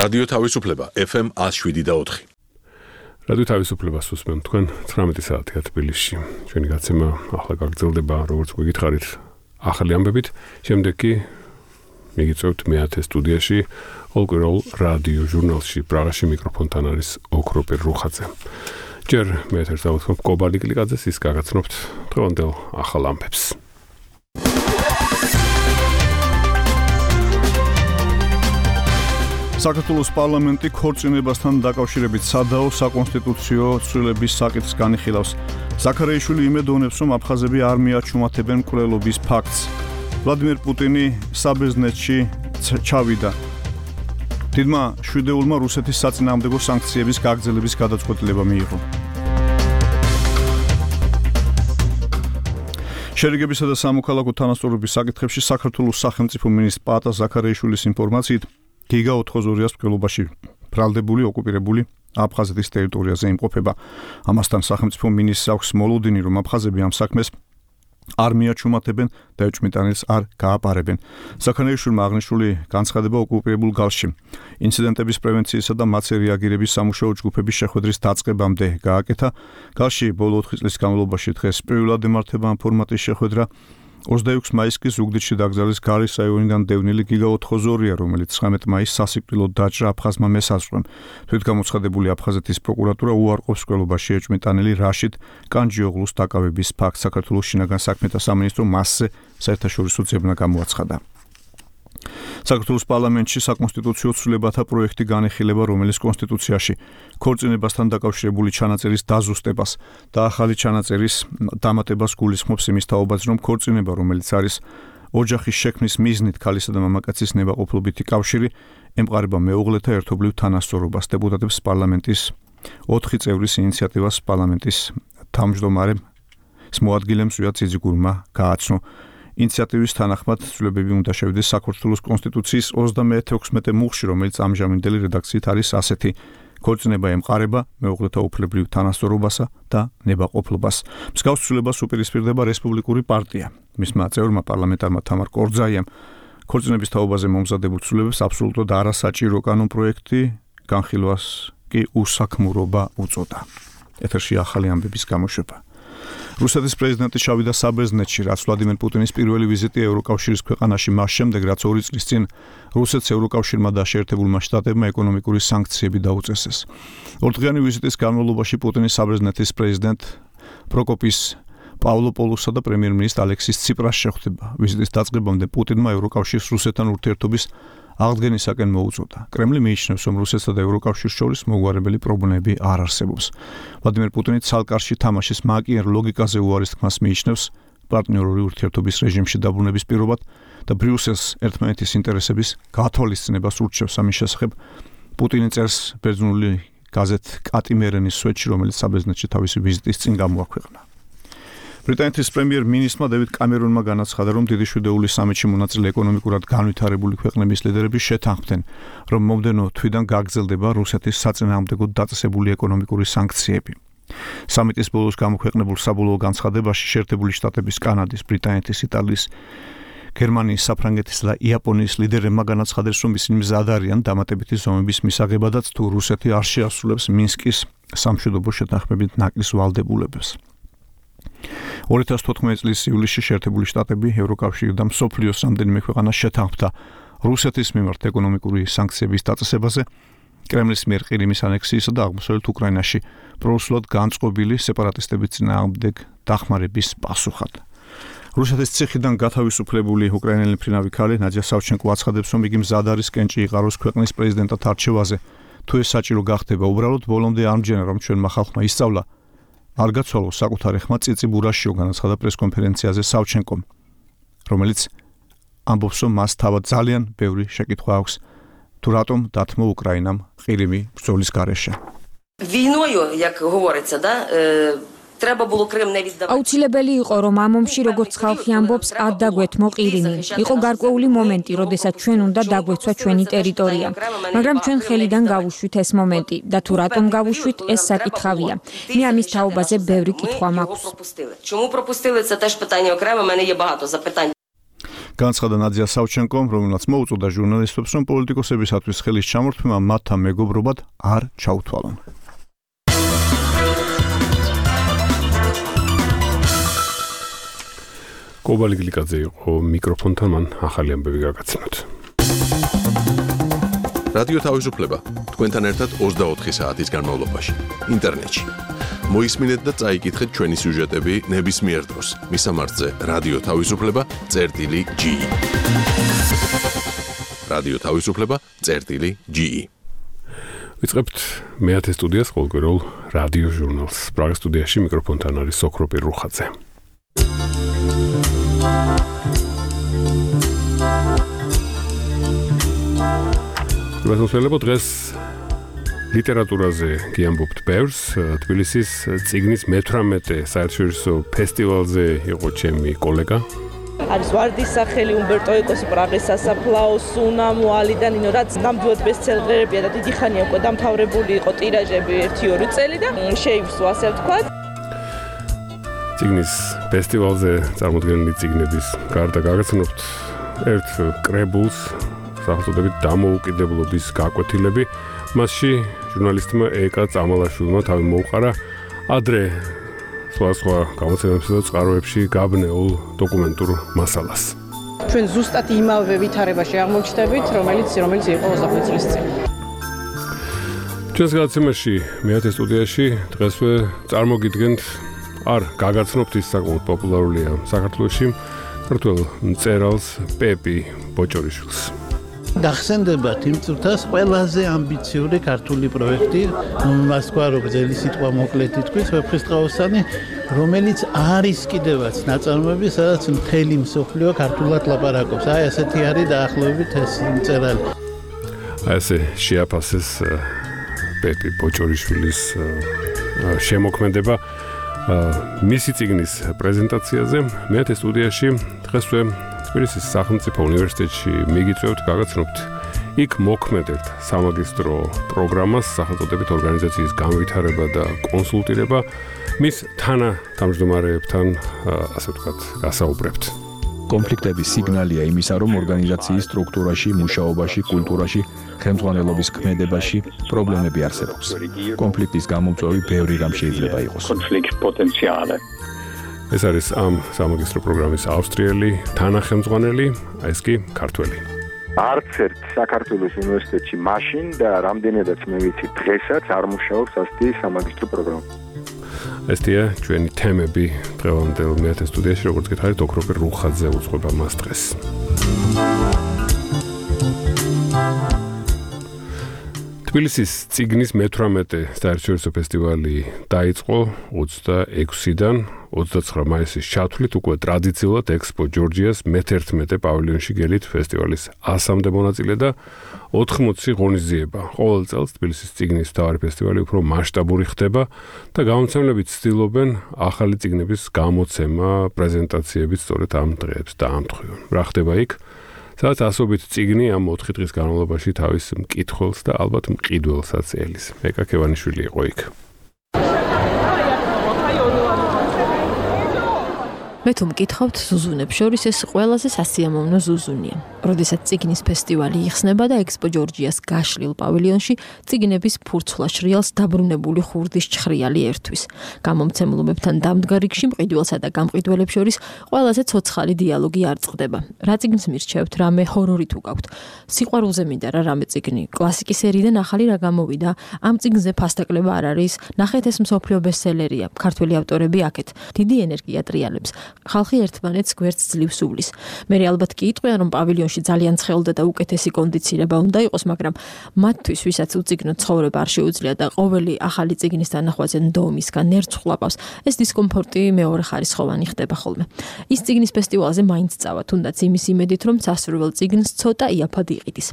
რადიო თავისუფლება FM 107.4. რადიო თავისუფლებას უსმენთ თქვენ 19 საათია თბილისში. ჩვენი გაცემა ახლა გაგრძელდება, როგორც გითხარით, ახალი ამბებით. შემდეგ კი მიგიწევთ მე-10 სტუდიაში, ყოველკვირეულ რადიო ჟურნალში პრაღაში მიკროფონთან არის ოქროპირ რუხაძე. ჯერ მე-10-ს დავუთმობ კობალი კლიკაძეს, ის გაგაცნობთ დღევანდელ ახალ ამბებს. საქართველოს პარლამენტი ქორწინებასთან დაკავშირებით სადაო საკონსტიტუციო ცვლილების საკითხს განიხილავს. ზაქარიაშვილი იმედოვნებს, რომ აფხაზები არ მიაჩუმათებენ მკვლელობის ფაქტს. ვლადიმერ პუტინი საბერძნეთში ჩავიდა. დიდმა შვიდეულმა რუსეთის საწინააღმდეგო სანქციების გაგრძელების გადაწყვეტილება მიიღო. შერიგებისა და სამოქალაქო თანასწორობის საკითხებში საქართველოს სახელმწიფო მინისტრ პაატა ზაქარიაშვილის ინფორმაციით გიგა 4-200-ს მკვლელობაში ბრალდებული ოკუპირებული აფხაზეთის ტერიტორიაზე იმყოფება. ამასთან სახელმწიფო მინისტრს აქვს მოლოდინი, რომ აფხაზები ამ საქმეს არ მიაჩუმათებენ და ეჭვმიტანილს არ გააპარებენ. ზაქარიაშვილმა აღნიშნული განცხადება ოკუპირებულ გალში ინციდენტების პრევენციისა და მათზე რეაგირების სამუშაო ჯგუფების შეხვედრის დაწყებამდე გააკეთა. გალში ბოლო 4 წლის განმავლობაში დღეს პირველად ემართება ამ ფორმატის შეხვედრა. 26 მაისს კი ზუგდიდში დაკრძალეს გალის რაიონიდან დევნილი გიგა 4-200-ია, რომელიც 19 მაისს სასიკვდილოდ დაჭრა აფხაზმა მესაზღვრემ. თვითგამოცხადებული აფხაზეთის პროკურატურა უარყოფს მკვლელობაში ეჭვმიტანილი რაშიდ კანჯიოღლუს დაკავების ფაქტს. საქართველოს შინაგან საქმეთა სამინისტრო მასზე საერთაშორისო ძებნა გამოაცხადა. საქართველოს პარლამენტში საკონსტიტუციო ცვლილებათა პროექტი განიხილება, რომელიც კონსტიტუციაში ქორწინებასთან დაკავშირებული ჩანაწერის დაზუსტებას და ახალი ჩანაწერის დამატებას გულისხმობს იმის თაობაზე, რომ ქორწინება, რომელიც არის ოჯახის შექმნის მიზნით ქალისა და მამაკაცის ნებაყოფლობითი კავშირი, ემყარება მეუღლეთა ერთობლივ თანასწორობას. დეპუტატებს პარლამენტის 4 წევრის ინიციატივას პარლამენტის თავმჯდომარემ მოადგილემ ზვია ძიძიგურმა გააცნო. ინიციატივის თანახმად ცვლილებები უნდა შევიდეს საქართველოს კონსტიტუციის 36 მუხში, რომელიც ამჟამინდელი რედაქციით არის ასეთი: ქორწინება ემყარება მეუღლეთა უფლებრივ თანასწორობასა და ნებაყოფლობას. მსგავს ცვლილებას უპირისპირდება რესპუბლიკური პარტია. მისმა წევრმა პარლამენტარმა თამარ კორძაიამ ქორწინების თაობაზე მომზადებულ ცვლილებებს აბსოლუტურად არასაჭირო კანონპროექტი, განხილვას კი უსაქმურობა უწოდა. ეთერში ახალი ამბების გამოშვება. რუსეთის პრეზიდენტი ჩავიდა საბერძნეთში, რაც ვლადიმერ პუტინის პირველი ვიზიტი ევროკავშირის ქვეყანაში მას შემდეგ, რაც 2 წლის წინ რუსეთს ევროკავშირმა და შეერთებულმა შტატებმა ეკონომიკური სანქციები დაუწესეს. ორდღიანი ვიზიტის განმავლობაში პუტინი საბერძნეთის პრეზიდენტ პროკოპის პავლოპოლოსსა და პრემიერ-მინისტრ ალექსის ციპრას შეხვდება. ვიზიტის დაწყებამდე პუტინმა ევროკავშირს რუსეთთან ურთიერთობის აღდგენისაკენ მოუწოდა. კრემლი მიიჩნევს, რომ რუსეთსა და ევროკავშირს შორის მოგვარებელი პრობლემები არ არსებობს. ვლადიმერ პუტინი ცალკარში თამაშის მაკიერ ლოგიკაზე უარის თქმას მიიჩნევს პარტნიორული ურთიერთობის რეჟიმში დაბრუნების პირობად და ბრიუსელს ერთმანეთის ინტერესების გათვალისწინებას ურჩევს. ამის შესახებ პუტინი წერს ბერძნული გაზეთ კატიმერენის სვეტში, რომელიც საბერძნეთში თავისი ვიზიტის წინ გამოაქვეყნა. ბრიტანეთის პრემიერ-მინისტრმა დევიდ კამერონმა განაცხადა, რომ დიდი შვიდეულის სამიტში მონაწილე ეკონომიკურად განვითარებული ქვეყნების ლიდერები შეთანხმდნენ, რომ მომდევნო თვიდან გაგრძელდება რუსეთის საწინააღმდეგოდ დაწესებული ეკონომიკური სანქციები. სამიტის ბოლოს გამოქვეყნებულ საბოლოო განცხადებაში შეერთებული შტატების, კანადის, ბრიტანეთის, იტალიის, გერმანიის, საფრანგეთის და იაპონიის ლიდერებმა განაცხადეს, რომ ისინი მზად არიან დამატებითი ზომების მისაღებადაც, თუ რუსეთი არ შეასრულებს მინსკის სამშვიდობო შეთანხმებით ნაკლის ვალდებულებას. 2014 წლის ივლისში შეერთებული შტატები, ევროკავშირი და მსოფლიოს რამდენიმე ქვეყანა შეთანხმდა რუსეთის მიმართ ეკონომიკური სანქციების დაწესებაზე, კრემლის მიერ ყირიმის ანექსიისა და აღმოსავლეთ უკრაინაში პრორუსულად განწყობილი სეპარატისტების წინააღმდეგ დახმარების პასუხად. რუსეთის ციხიდან გათავისუფლებული უკრაინელი მფრინავი ქალი ნადია სავჩენკო აცხადებს, რომ იგი მზად არის კენჭი იყაროს ქვეყნის პრეზიდენტად არჩევაზე. თუ ეს საჭირო გახდება, უბრალოდ ბოლომდე ამჯერა, რომ ჩვენმა ხალხმა ისწავლა არ გაცვალოს საკუთარი ხმა წიწი ბურაშიო, განაცხადა პრესკონფერენციაზე სავჩენკომ, რომელიც ამბობს, რომ მას თავად ძალიან ბევრი შეკითხვა აქვს, თუ რატომ დათმო უკრაინამ ყირიმი ბრძოლის გარეშე. Війною, як говориться, да, треба було Крим не віддавати. აუცილებელი იყო, რომ ამ ომში, როგორც ხალხი ამბობს, არ დაგვეთმო ყირიმი. იყო გარკვეული მომენტი, როდესაც ჩვენ უნდა დაგვეცვა ჩვენი ტერიტორია. მაგრამ ჩვენ ხელიდან გავუშვით ეს მომენტი და თუ რატომ გავუშვით, ეს საკითხავია. მე ამის თაობაზე ბევრი კითხვა მაქვს. Чому пропустили? Це теж питання окреме, у мене є багато запитань. განცხადა ნადია სავჩენკომ, რომელმაც მოუწოდა ჟურნალისტებს, რომ პოლიტიკოსებისათვის ხელის ჩამორთმევა მათთან მეგობრობად არ ჩაუთვალონ. კობალი გლიკაძე იყო მიკროფონთან, მან ახალი ამბები გაგაცნოთ. რადიო თავისუფლება თქვენთან ერთად 24 საათის განმავლობაში ინტერნეტში. მოისმინეთ და წაიკითხეთ ჩვენი სიუჟეტები ნებისმიერ დროს. მისამართზე რადიო თავისუფლება.ge. რადიო თავისუფლება.ge. ვიწყებთ მეათე სტუდიას ყოველკვირეულ რადიო ჟურნალს. პრაღის სტუდიაში მიკროფონთან არის სოქრო პირრუხაძე. ვასწავლებ დღეს ლიტერატურაზე გიამბობთ ბევრს. თბილისის წიგნის მე-18 საერთაშორისო ფესტივალზე იყო ჩემი კოლეგა. არის ვარდის სახელი, უმბერტო ეკოსი, პრაღის სასაფლაო, სუნა, მოალი და ნინო, რაც ნამდვილად ბესტსელერებია და დიდი ხანია უკვე დამთავრებული იყო ტირაჟები 1-2 წელი და შეივსო, ასე ვთქვათ. წიგნის ფესტივალზე წარმოდგენილი წიგნების გარდა გაგაცნობთ ერთ კრებულს, სახელწოდებით დამოუკიდებლობის გაკვეთილები. მასში ჟურნალისტმა ეკა წამალაშვილმა თავი მოუყარა ადრე სხვა გამოცემებსა და წყაროებში გაბნეულ დოკუმენტურ მასალას. ჩვენ ზუსტად იმავე ვითარებაში აღმოჩნდებით, რომელიც იყო 25 წლის წინ. ჩვენს გადაცემაში მეათე სტუდიაში დღესვე წარმოგიდგენთ არ გაგაცნობთ ის საკმაოდ პოპულარულია საქართველოში ქართველ მწერალს პეპი ბოჭორიშვილს. გახსენდებათ იმ წუთას ყველაზე ამბიციური ქართული პროექტი, მას თქვა რომ გზელი სიტყვა მოკლედ ითქვით, ვეფხისტყაოსანი, რომელიც არის კიდევაც ნაწარმოები, სადაც მთელი მსოფლიო ქართულად ლაპარაკობს. აი ასეთი არის დაახლოებით ეს მწერალი. აი ესე შეაფასეს პეპი ბოჭორიშვილის შემოქმედება მისი წიგნის პრეზენტაციაზე. მეათე სტუდიაში დღესვე თბილისის სახელმწიფო უნივერსიტეტში მიგიწევთ გაგაცნობთ იქ მოქმედებთ სამაგისტრო პროგრამას სახელწოდებით ორგანიზაციის განვითარება და კონსულტირება. მის თანათავმჯდომარეებთან ასე ვთქვათ გასაუბრებთ. კონფლიქტების სიგნალია იმისა, რომ ორგანიზაციის სტრუქტურაში, მუშაობაში, კულტურაში, ხელმძღვანელობის ქმედებაში პრობლემები არსებობს. კონფლიქტის გამომწვევი ბევრი რამ შეიძლება იყოს. კონფლიქტ პოტენციალი. ეს არის ამ სამაგისტრო პროგრამის ავსტრიელი თანახელმძღვანელი, ეს კი ქართველი. არც ერთ საქართველოს უნივერსიტეტში მაშინ და რამდენადაც მე ვიცი დღესაც არ მუშაობს ასეთი სამაგისტრო პროგრამა. ესეა ჩვენი თემები დღევანდელ მეათე სტუდიაში, როგორც გითხარით, ოქრო პირრუხაძე უძღვება მას დღეს. თბილისის წიგნის მე-18 საერთაშორისო ფესტივალი დაიწყო 26-დან 29 მაისის ჩათვლით, უკვე ტრადიციულად ექსპო ჯორჯიას მე-11 პავილიონში გელით ფესტივალის 100-მდე მონაწილე და 80 ღონისძიება. ყოველ წელს თბილისის წიგნის მთავარი ფესტივალი უფრო მასშტაბური ხდება და გამომცემლები ცდილობენ ახალი წიგნების გამოცემა, პრეზენტაციებით სწორედ ამ დღეებს დაამტყიონ. რა ხდება იქ? სადაც ასობით წიგნი ამ 4 დღის განმავლობაში თავის მკითხველს და ალბათ მყიდველსაც ელის. ეკა ქევანიშვილი იყო იქ. მე თუ მკითხავთ ზუზუნებს შორის ეს ყველაზე სასიამოვნო ზუზუნია. როდესაც წიგნის ფესტივალი იხსნება და ექსპო ჯორჯიას გაშლილ პავილიონში წიგნების ფურცვლა შრიალს დაბრუნებული ხურდის ჩხრიალი ერთვის. გამომცემლობებთან დამდგარ რიგში მყიდველსა და გამყიდველებს შორის ყველაზე ცოცხალი დიალოგი არ წყდება. რა წიგნს მირჩევთ, რამე ჰორორი თუ გაქვთ. სიყვარულზე მინდა რა რამე წიგნი. კლასიკის სერიიდან ახალი რა გამოვიდა. ამ წიგნზე ფასტაკლება არ არის. ნახეთ ეს მსოფლიო ბესტსელერია. ქართველი ავტორები აქეთ. დიდი ენერგია ტრიალებს. ხალხი ერთმანეთს გვერდს ძლივს უვლის. მე ალბათ კი იტყვიან, რომ პავილიონში ძალიან ცხელდა და უკეთესი კონდიცირება უნდა იყოს, მაგრამ მათთვის, ვისაც უწიგნო ცხოვრება არ შეუძლია და ყოველი ახალი წიგნის თანახვაზე ნდომისგან ნერწ ხლაპავს, ეს დისკომფორტი მეორე ხარისხოვანი ხდება ხოლმე. ის წიგნის ფესტივალზე მაინც წავა, თუნდაც იმის იმედით, რომ სასურველ წიგნს ცოტა იაფად იყიდის.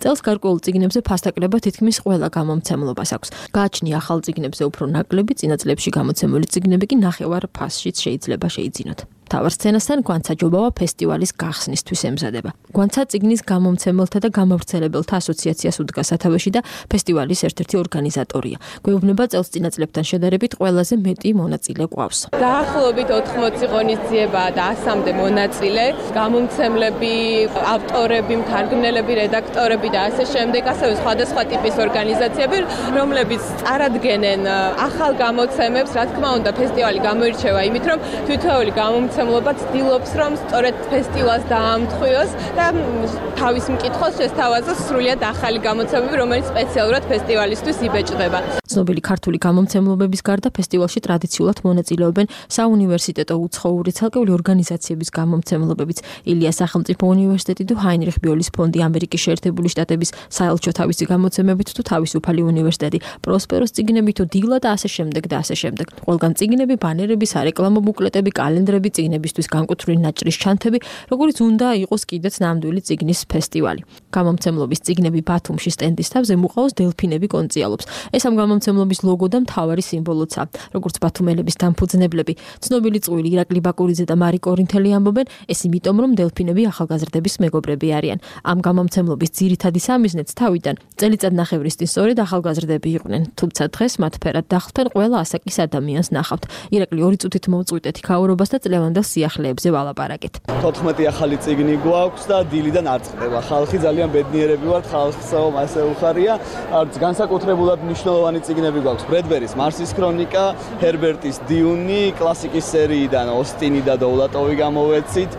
წელს გარკვეულ წიგნებზე ფასტაკლება თითქმის ყველა გამომცემლობას აქვს. გააჩნია ახალ წიგნებზე უფრო ნაკლები, წინა წლებში გამოცემული წიგნები კი ნახევარ ფასშიც შეიძლება შეიძინოთ. მთავარ სცენასთან გვანცაჯობავა ფესტივალის გახსნისთვის ემზადება. გვანცა წიგნის გამომცემელთა და გამავრცელებელთა ასოციაციას უდგა სათავეში და ფესტივალის ერთ-ერთი ორგანიზატორია. გვეუბნება წელსწინა წლებთან შედარებით ყველაზე მეტი მონაწილე გვყავს. დაახლოებით 80 ღონისძიებაა და 100-მდე მონაწილე, გამომცემლები, ავტორები, მთარგმნელები, რედაქტორები და ასე შემდეგ, ასევე სხვადასხვა ტიპის ორგანიზაციები, რომლებიც წარადგენენ ახალ გამოცემებს, რა თქმა უნდა, ფესტივალი გამოირჩევა იმით, რომ თითოეული გამომცემლობა ცდილობს, რომ სწორედ ფესტივალს დაამტყვიოს და თავის მკითხველს შესთავაზოს სრულიად ახალი გამოცემები, რომელიც სპეციალურად ფესტივალისთვის იბეჭდება. ცნობილი ქართული გამომცემლობების გარდა ფესტივალში ტრადიციულად მონაწილეობენ საუნივერსიტეტო უცხოური ცალკეული ორგანიზაციების გამომცემლობებიც. ილიას სახელმწიფო უნივერსიტეტი თუ ჰაინრიხ ბიოლის ფონდი, ამერიკის შეერთებული შტატების საელჩო თავისი გამოცემებით თუ თავისუფალი უნივერსიტეტი, პროსპეროს წიგნები თუ დილა და ასე შემდეგ და ასე შემდეგ. ყველგან წიგნები, ბანერები, სარეკლამო ბუკლეტები, კალენდრები, წიგნებისთვის განკუთვნილი ნაჭრის ჩანთები, როგორც უნდა იყოს კიდეც ნამდვილი წიგნის ფესტივალი. გამომცემლობის წიგნები ბათუმში სტენდის თავზე მუყაოს დელფინები კონციალობს. ეს ამ გამომცემლობის ლოგო და მთავარი სიმბოლოა. როგორც ბათუმელების დამფუძნებლები, ცნობილი წყვილი ირაკლი ბაკურიძე და მარი კორინთელი ამბობენ, ეს იმიტომ, რომ დელფინები ახალგაზრდების მეგობრები არიან. ამ გამომცემლობის ძირითადი სამიზნეც თავიდან წელიწადნახევრის წინ სწორედ ახალგაზრდები იყვნენ, თუმცა დღეს მათ ფერად დახლთან ყველა ასაკის ადამიანს ნახავთ. ირაკლი 2 წუთით მოვწყვიტეთ ქაურობას და წლევანდელ სიახლეებზე ვალაპარაკეთ. 14 ახალი წიგნი გვაქვს და დილიდან არ წყდება. ხალხი ძალიან ბედნიერები ვართ, ხალხსაო ასე უხარია. განსაკუთრებულად მნიშვნელოვანი წიგნები გვაქვს. ბრედბერის მარსის ქრონიკა, ჰერბერტის დიუნი, კლასიკის სერიიდან ოსტინი და დოვლატოვი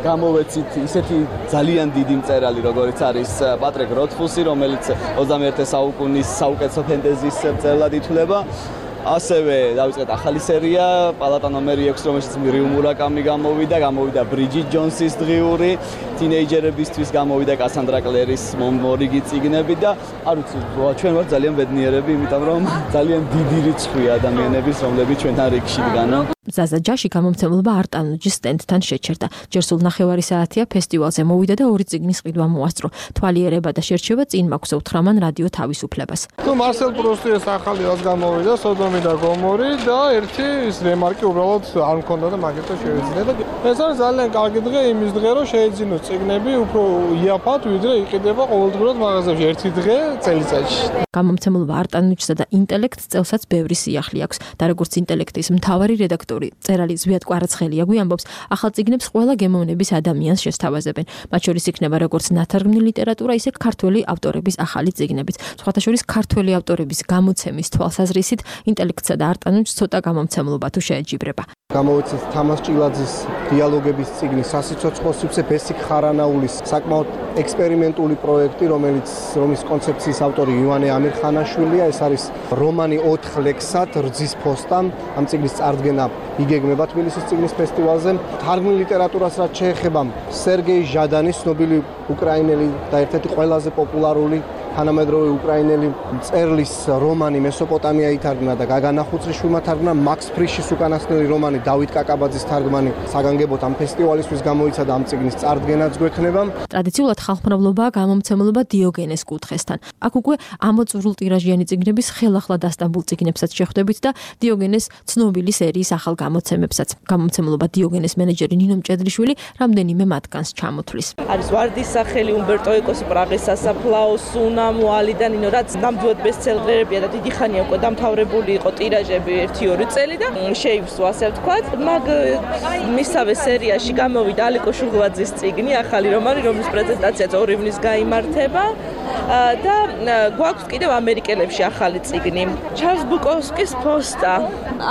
გამოვეცით ისეთი ძალიან დიდი მწერალი, როგორიც არის პატრიკ როთფუსი, რომელიც 21 საუკუნის საუკეთესო ფენტეზის მწერლად ითვლება. ასევე დავიწყეთ ახალი სერია, პალატა ნომერი 6, რომელშიც რიუ მურაკამი გამოვიდა ბრიჯიტ ჯონსის დღიური, თინეიჯერებისთვის გამოვიდა კასანდრა კლერის მორიგი წიგნები და არ ვიცი, ჩვენ ვართ ძალიან ბედნიერები, იმიტომ რომ ძალიან დიდი რიცხვია ადამიანების, რომლებიც ჩვენთან რიგში დგან. ზაზა ჯაში გამომცემლობა არტანუჯის სტენდთან შეჩერდა. ჯერ სულ ნახევარი საათია ფესტივალზე მოვიდა და 2 წიგნის ყიდვა მოასწრო. თვალიერება და შერჩევა წინ მაქვს უთხრამან რადიო თავისუფლებას. თუ მარსელ პრუსტის ახალი რაც გამოვიდა, სოდომი და გომორი და ერთი ის რემარკი უბრალოდ არ მქონდა და მაგითო შევეძინე და ეს არის ძალიან კარგი დღე იმის დღე, რომ შეეძინოს წიგნები უფრო იაფად, ვიდრე იყიდება ყოველდღურად მაღაზიაში ერთი დღე წელიწადში. გამომცემლობა არტანუჯსა და ინტელექტს წელსაც ბევრი სიახლე აქვს და როგორც ინტელექტის მთავარი რედაქტორი წერალი ზვიად კვარაცხელია გვიამბობს, ახალ წიგნებს ყველა გემოვნების ადამიანს შესთავაზებენ. მათ შორის იქნება როგორც ნათარგმნი ლიტერატურა, ისე ქართველი ავტორების ახალი წიგნებიც. სხვათა შორის ქართველი ავტორების გამოცემის თვალსაზრისით ინტელექტსა და არტანუჯს ცოტა გამომცემლობა თუ შეეჯიბრება. გამოვიცეთ თამას ჭილაძის დიალოგების წიგნი სასიცოცხლო სივრცე ბესიკ ხარანაულის საკმაოდ ექსპერიმენტული პროექტი, რომლის კონცეფციის ავტორი ივანე ამირხანაშვილია. ეს არის რომანი 4 ლექსად რძის ფოსტამ. ამ წიგნის წარდგენა იგეგმება თბილისის წიგნის ფესტივალზე. თარგმნილ ლიტერატურას რაც შეეხება, სერგეი ჟადანის ცნობილი უკრაინელი და ერთ-ერთი ყველაზე პოპულარული თანამედროვე უკრაინელი მწერლის რომანი მესოპოტამია ითარგმნა და გაგანა ხუცრიშვილმა თარგმნა. მაქს ფრიშის უკანასკნელი რომანი დავით კაკაბაძის თარგმანი საგანგებოდ ამ ფესტივალისთვის გამოიცა და ამ წიგნის წარდგენაც გვექნება. ტრადიციულად ხალხმრავლობაა გამომცემლობა დიოგენეს კუთხესთან. აქ უკვე ამოწურულ ტირაჟიანი წიგნების ხელახლა დასტამბულ წიგნებსაც შეხვდებით და დიოგენეს ცნობილი სერიის ახალ გამოცემებსაც. გამომცემლობა დიოგენეს მენეჯერი ნინო მჭედლიშვილი რამდენიმე მათგანს ჩამოთვლის. არის ვარდის სახელი, უმბერტო ეკოსი, პრაღის სასაფლაო, სუნა მოალიდან, რაც ნამდვილად ბესტსელერებია და დიდი ხანია უკვე დამთავრებული იყო ტირაჟები 1-2 წელი და შეივსო ასე ვთქვათ. მაგ მისავე სერიაში გამოვიდა ალიკო შუღლაძის წიგნი, ახალი რომანი, რომლის პრეზენტაციაც 2 ივნის გაიმართება და გვაქვს კიდევ ამერიკელებში ახალი წიგნი. ჩარლზ ბუკოვსკის ფოსტა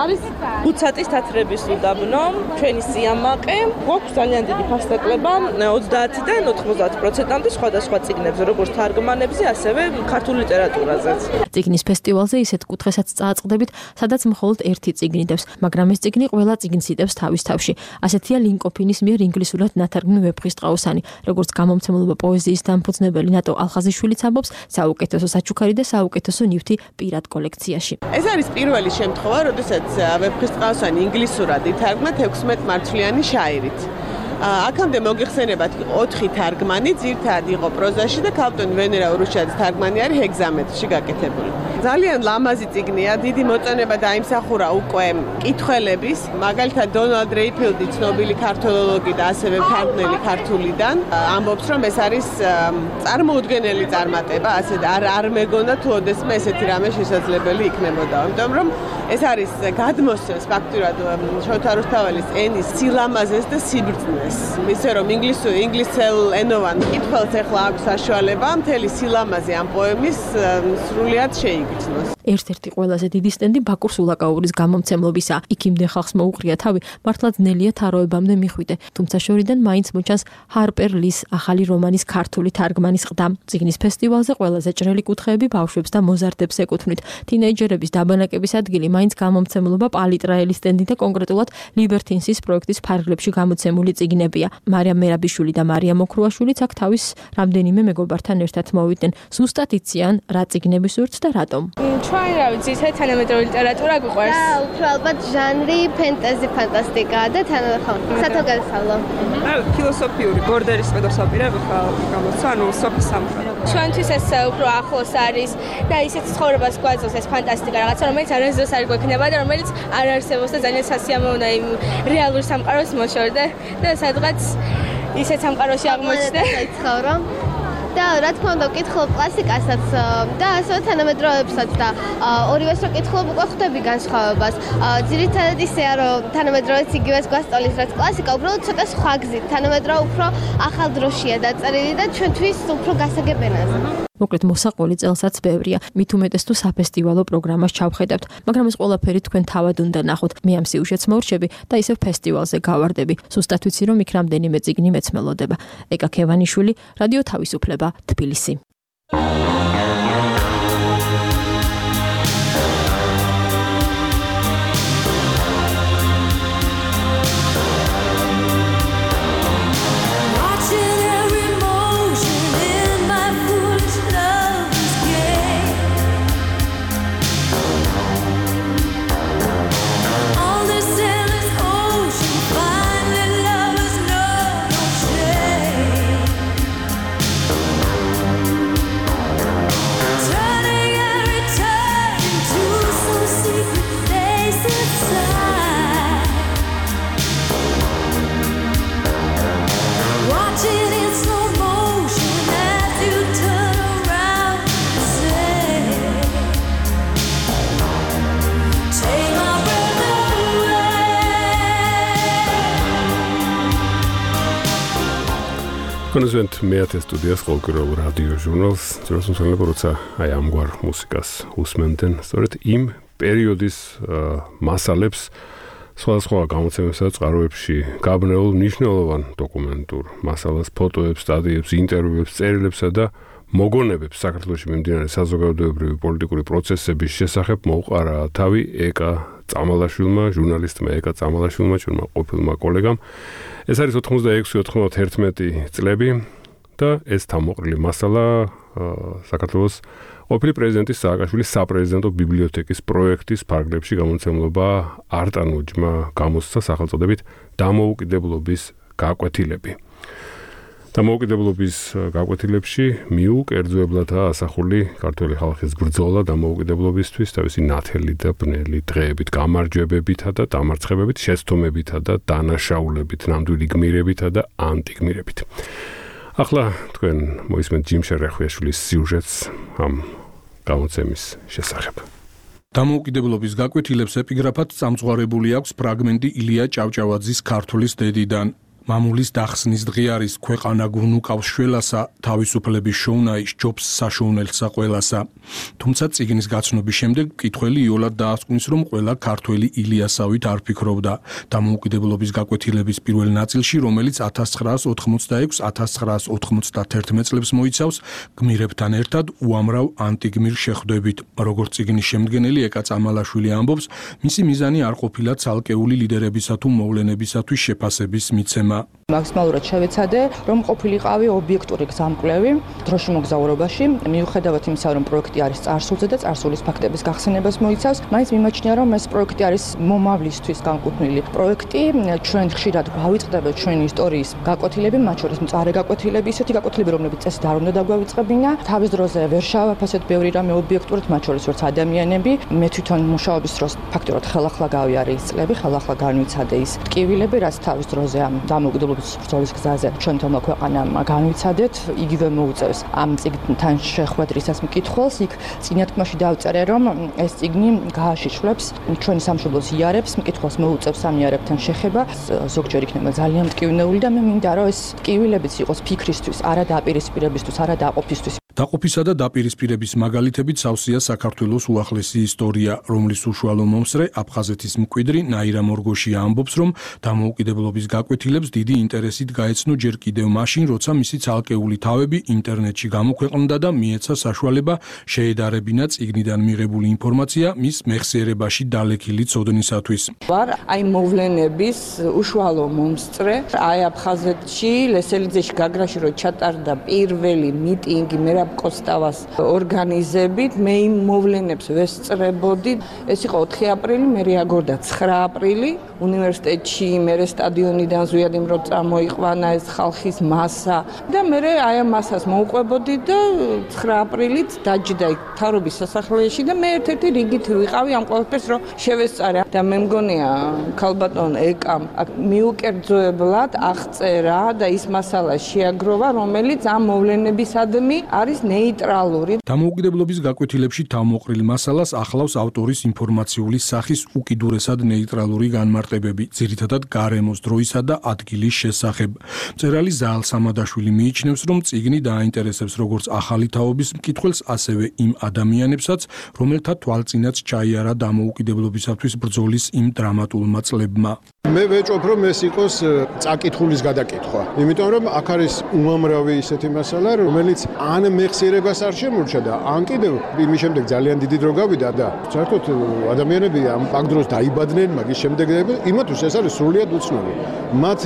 არის უცატის თათრების უდაბნო, ჩვენი სიამაყე. გვაქვს ძალიან დიდი ფასდაკლება 30-დან 90%-მდე სხვადასხვა წიგნებზე, როგორც თარგმანებზე, ასევე ქართულ ლიტერატურაზეც. წიგნის ფესტივალზე ისეთ კუთხესაც წააწყდებით, სადაც მხოლოდ ერთი წიგნი დევს, მაგრამ ეს წიგნი ყველა წიგნს იტევს თავის თავში. ასეთია ლინკოფინის მიერ ინგლისურად ნათარგმნი ვეფხისტყაოსანი, როგორც გამომცემლობა პოეზიის დამფუძნებელი ნატო ალხაზიშვილიც ამბობს, საუკეთესო საჩუქარი და საუკეთესო ნივთი პირად კოლექციაში. ეს არის პირველი შემთხვევა, როდესაც ვეფხისტყაოსანი ინგლისურად ითარგმნა 16 მარცვლიანი შაირით. აქამდე მოგიხსენებათ 4 თარგმანი, ძირთადად იყო პროზაში და ქალბატონ ვენერა ურუშაძის თარგმანი არის ჰეგზამეტრში გაკეთებული. ძალიან ლამაზი წიგნია, დიდი მოწონება დაიმსახურა უკვე მკითხველების, მაგალითად დონალდ რეიფილდი, ცნობილი ქართველოლოგი და ასევე მთარგმნელი ქართულიდან, ამბობს, რომ ეს არის წარმოუდგენელი წარმატება, ასე არ მეგონა თუ ოდესმე ესეთი რამე შესაძლებელი იქნებოდა. ამიტომ რომ ეს არის გადმოსცემს ფაქტურად შოთა რუსთაველის ენის სილამაზეს და სიბრძნეს. ისე რომ ინგლისელ ენოვან მკითხველს ახლა აქვს საშუალება მთელი სილამაზე ამ პოემის სრულიად შეიგრძნოს. ერთ-ერთი ყველაზე დიდი სტენდი ბაკურ სულაკაურის გამომცემლობისა. იქამდე ხალხს მოუყრია თავი, მართლა ძნელია თაროებამდე მიხვიდე. თუმცა შორიდან მაინც მოჩანს ჰარპერ ლის ახალი რომანის ქართული თარგმანის ყდა. წიგნის ფესტივალზე ყველაზე ჭრელი კუთხეები ბავშვებს და მოზარდებს ეკუთვნით. თინეიჯერების დაბანაკების ადგილი მაინც გამომცემლობა პალიტრაელის სტენდი და კონკრეტულად ლიბერთინსის პროექტის ფარგლებში გამოცემული წიგნებია. მარიამ მერაბიშვილი და მარია მოქრუაშვილიც აქ თავის რამდენიმე მეგობართან ერთად მოვიდნენ. ზუსტად იციან რა წიგნები სურთ და რატომ. ჩვენ რა ვიცი, თანამედროვე ლიტერატურა გვიყვარს. და უფრო ალბათ ჟანრი ფენტეზი ფანტასტიკა და სათოგადასავლო. ფილოსოფიური ბორდერის პედოსაპირები ხარ გამოცა, ანუ სოფის სამყარო. ჩვენთვის ეს უფრო ახლოს არის და ისეთ ცხოვრებას გვაძლევს ეს ფანტასტიკა რაღაცა, რომელიც არასდროს არ გვექნება და რომელიც არ არსებობს და ძალიან სასიამოვნოა იმ რეალურ სამყაროს მოშორდა და სადღაც ისეთ სამყაროში აღმოჩნდა. და რა თქმა უნდა ვკითხულობ კლასიკასაც და ასევე თანამედროვეებსაც და ორივეს რო ვკითხულობ უკვე ხვდები განსხვავებას. ძირითადად ისეა რომ თანამედროვეც იგივეს გვასწავლის რაც კლასიკა, უბრალოდ ცოტა სხვა გზით. თანამედროვე უფრო ახალ დროშია დაწერილი და ჩვენთვის უფრო გასაგებ ენაზე. მოკლედ მოსაყოლი წელსაც ბევრია. მით უმეტეს თუ საფესტივალო პროგრამას ჩავხედავთ, მაგრამ ეს ყველაფერი თქვენ თავად უნდა ნახოთ. მე ამ სიუჟეტს მორჩები და ისევ ფესტივალზე გავარდები. ზუსტად ვიცი რომ იქ რამდენიმე წიგნი მეც მელოდება. ეკა ქევანიშვილი, რადიო თავისუფლება, თბილისი. კონსვენტ მეათე სტუდიას ყოველკვირეულ რადიო ჟურნალს ძროს მსმენელები როცა აი ამგვარ მუსიკას უსმენდნენ სწორედ იმ პერიოდის მასალებს სხვადასხვა გამოცემებსა და წყაროებში გაბნეულ მნიშვნელოვან დოკუმენტურ მასალას, ფოტოებს, სტატიებს, ინტერვიუებს, წერილებსა და მოგონებებს საქართველოში მიმდინარე საზოგადოებრივი პოლიტიკური პროცესების შესახებ მოუყარა თავი ეკა წამალაშვილმა, ჟურნალისტმა ეკა წამალაშვილმა, ჩვენმა ყოფილმა კოლეგამ. ეს არის 86-91 წლები და ეს თავმოყრილი მასალა საქართველოს ყოფილი პრეზიდენტის სააკაშვილის საპრეზიდენტო ბიბლიოთეკის პროექტის ფარგლებში გამოცემლობა არტანუჯმა გამოსცა სახელწოდებით დამოუკიდებლობის გაკვეთილები. დამოუკიდებლობის გაკვეთილებში მიუკერძოებლადაა ასახული ქართველი ხალხის ბრძოლა დამოუკიდებლობისთვის, თავისი ნათელი და ბნელი დღეებით, გამარჯვებებითა და დამარცხებებით, შეცდომებითა და დანაშაულებით, ნამდვილი გმირებითა და ანტიგმირებით. ახლა თქვენ მოისმენთ ჯიმ შერეხვიაშვილის სიუჟეტს ამ გამოცემის შესახებ. დამოუკიდებლობის გაკვეთილებს ეპიგრაფად წამწვარებული აქვს ფრაგმენტი ილია ჭავჭავაძის ქართulis დედიდან. მამულის დახსნის დღე არის ქვეყანა გუნუკავს შველასა, თავისუფლების შოვნა ისჯობს საშოვნელსა ყველასა. თუმცა წიგნის გაცნობის შემდეგ მკითხველი იოლად დაასკვნის, რომ ყველა ქართველი ილიასავით არ ფიქრობდა. დამოუკიდებლობის გაკვეთილების პირველ ნაწილში, რომელიც 1986-1991 წლებს მოიცავს, გმირებთან ერთად უამრავ ანტიგმირ შეხვდებით. როგორც წიგნის შემდგენელი ეკა წამალაშვილი ამბობს, მისი მიზანი არ ყოფილა ცალკეული ლიდერებისა თუ მოვლენებისათვის შეფასების მიცემა. მაქსიმალურად შევეცადე, რომ ყოფილიყავი ობიექტური გზამკვლევი დროში მოგზაურობაში, მიუხედავად იმისა, რომ პროექტი არის წარსულზე და წარსულის ფაქტების გახსენებას მოიცავს, მაინც მიმაჩნია, რომ ეს პროექტი არის მომავლისთვის განკუთვნილი პროექტი. ჩვენ ხშირად გავიწყდებთ ჩვენი ისტორიის გაკვეთილები, მათ შორის მწარე გაკვეთილები, ისეთი გაკვეთილები, რომლებიც წესით არ უნდა დაგვავიწყებინა. თავის დროზე ვერ შევაფასეთ ბევრი რამე ობიექტურად, მათ შორის როგორც ადამიანები. მე თვითონ მუშაობის დროს ფაქტობრივად ხელახლა გავიარე ის წლები, ხელახლა განვიცადე ის ტკივილები, რაც თავის დროზე ამ დამოუკიდებლობის ბრძოლის გზაზე ჩვენ თომა ქვეყანამ განვიცადეთ, იგივე მოუწევს ამ წიგნთან შეხვედრისას მკითხველს. იქ წინათქმაში დავწერე, რომ ეს წიგნი გააშიშვლებს ჩვენი სამშობლოს იარებს, მკითხველს მოუწევს ამ იარებთან შეხება, ზოგჯერ იქნება ძალიან მტკივნეული და მე მინდა, რომ ეს ტკივილებიც იყოს ფიქრისთვის, არა დაპირისპირებისთვის, არა დაყოფისთვის. დაყოფისა და დაპირისპირების მაგალითებით სავსეა საქართველოს უახლესი ისტორია, რომლის უშუალო მომსწრე აფხაზეთის მკვიდრი ნაირა მორგოშია ამბობს, რომ დამოუკიდებლობის გაკვეთილებს დიდი ინტერესით გაეცნო ჯერ კიდევ მაშინ, როცა მისი ცალკეული თავები ინტერნეტში გამოქვეყნდა და მიეცა საშუალება შეედარებინა წიგნიდან მიღებული ინფორმაცია მის მეხსიერებაში დალექილი ცოდნისათვის. ვარ აი მოვლენების უშუალო მომსწრე, აი აფხაზეთში, ლესელიძეში, გაგრაში რო ჩატარდა პირველი მიტინგი კოსტავას ორგანიზებით, მე იმ მოვლენებს ვესწრებოდი. ეს იყო 4 აპრილი, მე რეაგორდა 9 აპრილი უნივერსიტეტში, მე სტადიონიდან ზვიად იმ რო წამოიყვანა ეს ხალხის მასა და მე აი ამ მასას მოუყვებოდი და 9 აპრილით დაჯდა მთავრობის სასახლეში და მე ერთ-ერთი რიგით ვიყავი ამ ყველაფერს რო შევესწარე და მე მგონია ქალბატონ ეკამ მიუკერძოებლად აღწერა და ის მასალა შეაგროვა, რომელიც ამ მოვლენებისადმი არის ნეიტრალური. დამოუკიდებლობის გაკვეთილებში თავმოყრილ მასალას ახლავს ავტორის ინფორმაციული სახის უკიდურესად ნეიტრალური განმარტებები, ძირითადად გარემოს, დროისა და ადგილის შესახებ. მწერალი ზაალ სამადაშვილი მიიჩნევს, რომ წიგნი დააინტერესებს როგორც ახალი თაობის მკითხველს, ასევე იმ ადამიანებსაც, რომელთა თვალწინაც ჩაიარა დამოუკიდებლობისათვის ბრძოლის იმ დრამატულმა წლებმა. მე ვეჭვობ, რომ ეს იყოს წაკითხulis გადაკითხვა. იმიტომ რომ აქ არის უამრავი ისეთი მასალა, რომელიც ან მეხსიერებას არ შემორჩა და ან კიდევ იმის შემდეგ ძალიან დიდი დრო გავიდა და საერთოდ ადამიანები ამ პაგდროს დაიბადნენ, მაგის შემდეგ იმათთვის ეს არის სრულიად უცნობი. მათ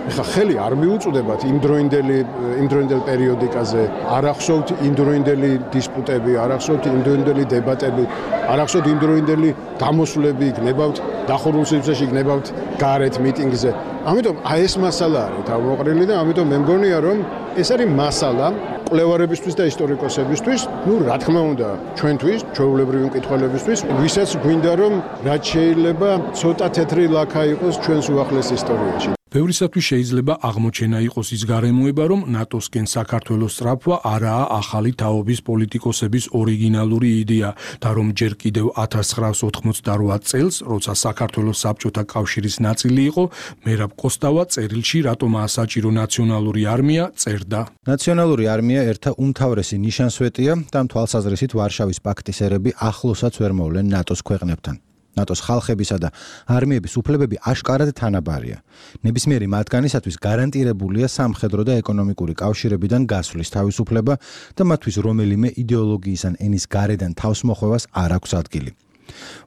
ეხა ხელი არ მიუწვდებათ იმდროინდელ პერიოდიკაზე, არ ახსოვთ იმდროინდელი დისპუტები, არ ახსოვთ იმდროინდელი დებატები, არ ახსოვთ იმდროინდელი გამოსვლები, იქნებავთ დახურულ სივრცეში, იქნებავთ გარეთ მიტინგზე. ამიტომ აი ეს მასალა არის თავმოყრილი და ამიტომ მე მგონია, რომ ეს არის მასალა კვლევარებისთვის და ისტორიკოსებისთვის, რა თქმა უნდა, ჩვენთვის, ჩვეულებრივი მკითხველებისთვის, ვისაც გვინდა რომ რაც შეიძლება ცოტა თეთრი ლაქა იყოს ჩვენს უახლეს ისტორიაში. ბევრისათვის შეიძლება აღმოჩენა იყოს ის გარემოება, რომ ნატოსკენ საქართველოს სწრაფვა არაა ახალი თაობის პოლიტიკოსების ორიგინალური იდეა და რომ ჯერ კიდევ 1988 წელს, როცა საქართველოს საბჭოთა კავშირის ნაწილი იყო, მერაბ კოსტავა წერილში რატომაა საჭირო ნაციონალური არმია წერდა. ნაციონალური არმია ერთა უმთავრესი ნიშანსვეტია და თვალსაზრისით ვარშავის პაქტის ერები ახლოსაც ვერ მოვლენ ნატოს ქვეყნებთან. ნატოს ხალხებისა და არმიების უფლებები აშკარად თანაბარია. ნებისმიერი მათგანისათვის გარანტირებულია სამხედრო და ეკონომიკური კავშირებიდან გასვლის თავისუფლება და მათთვის რომელიმე იდეოლოგიის ან ენის გარედან თავსმოხვევას არ აქვს ადგილი.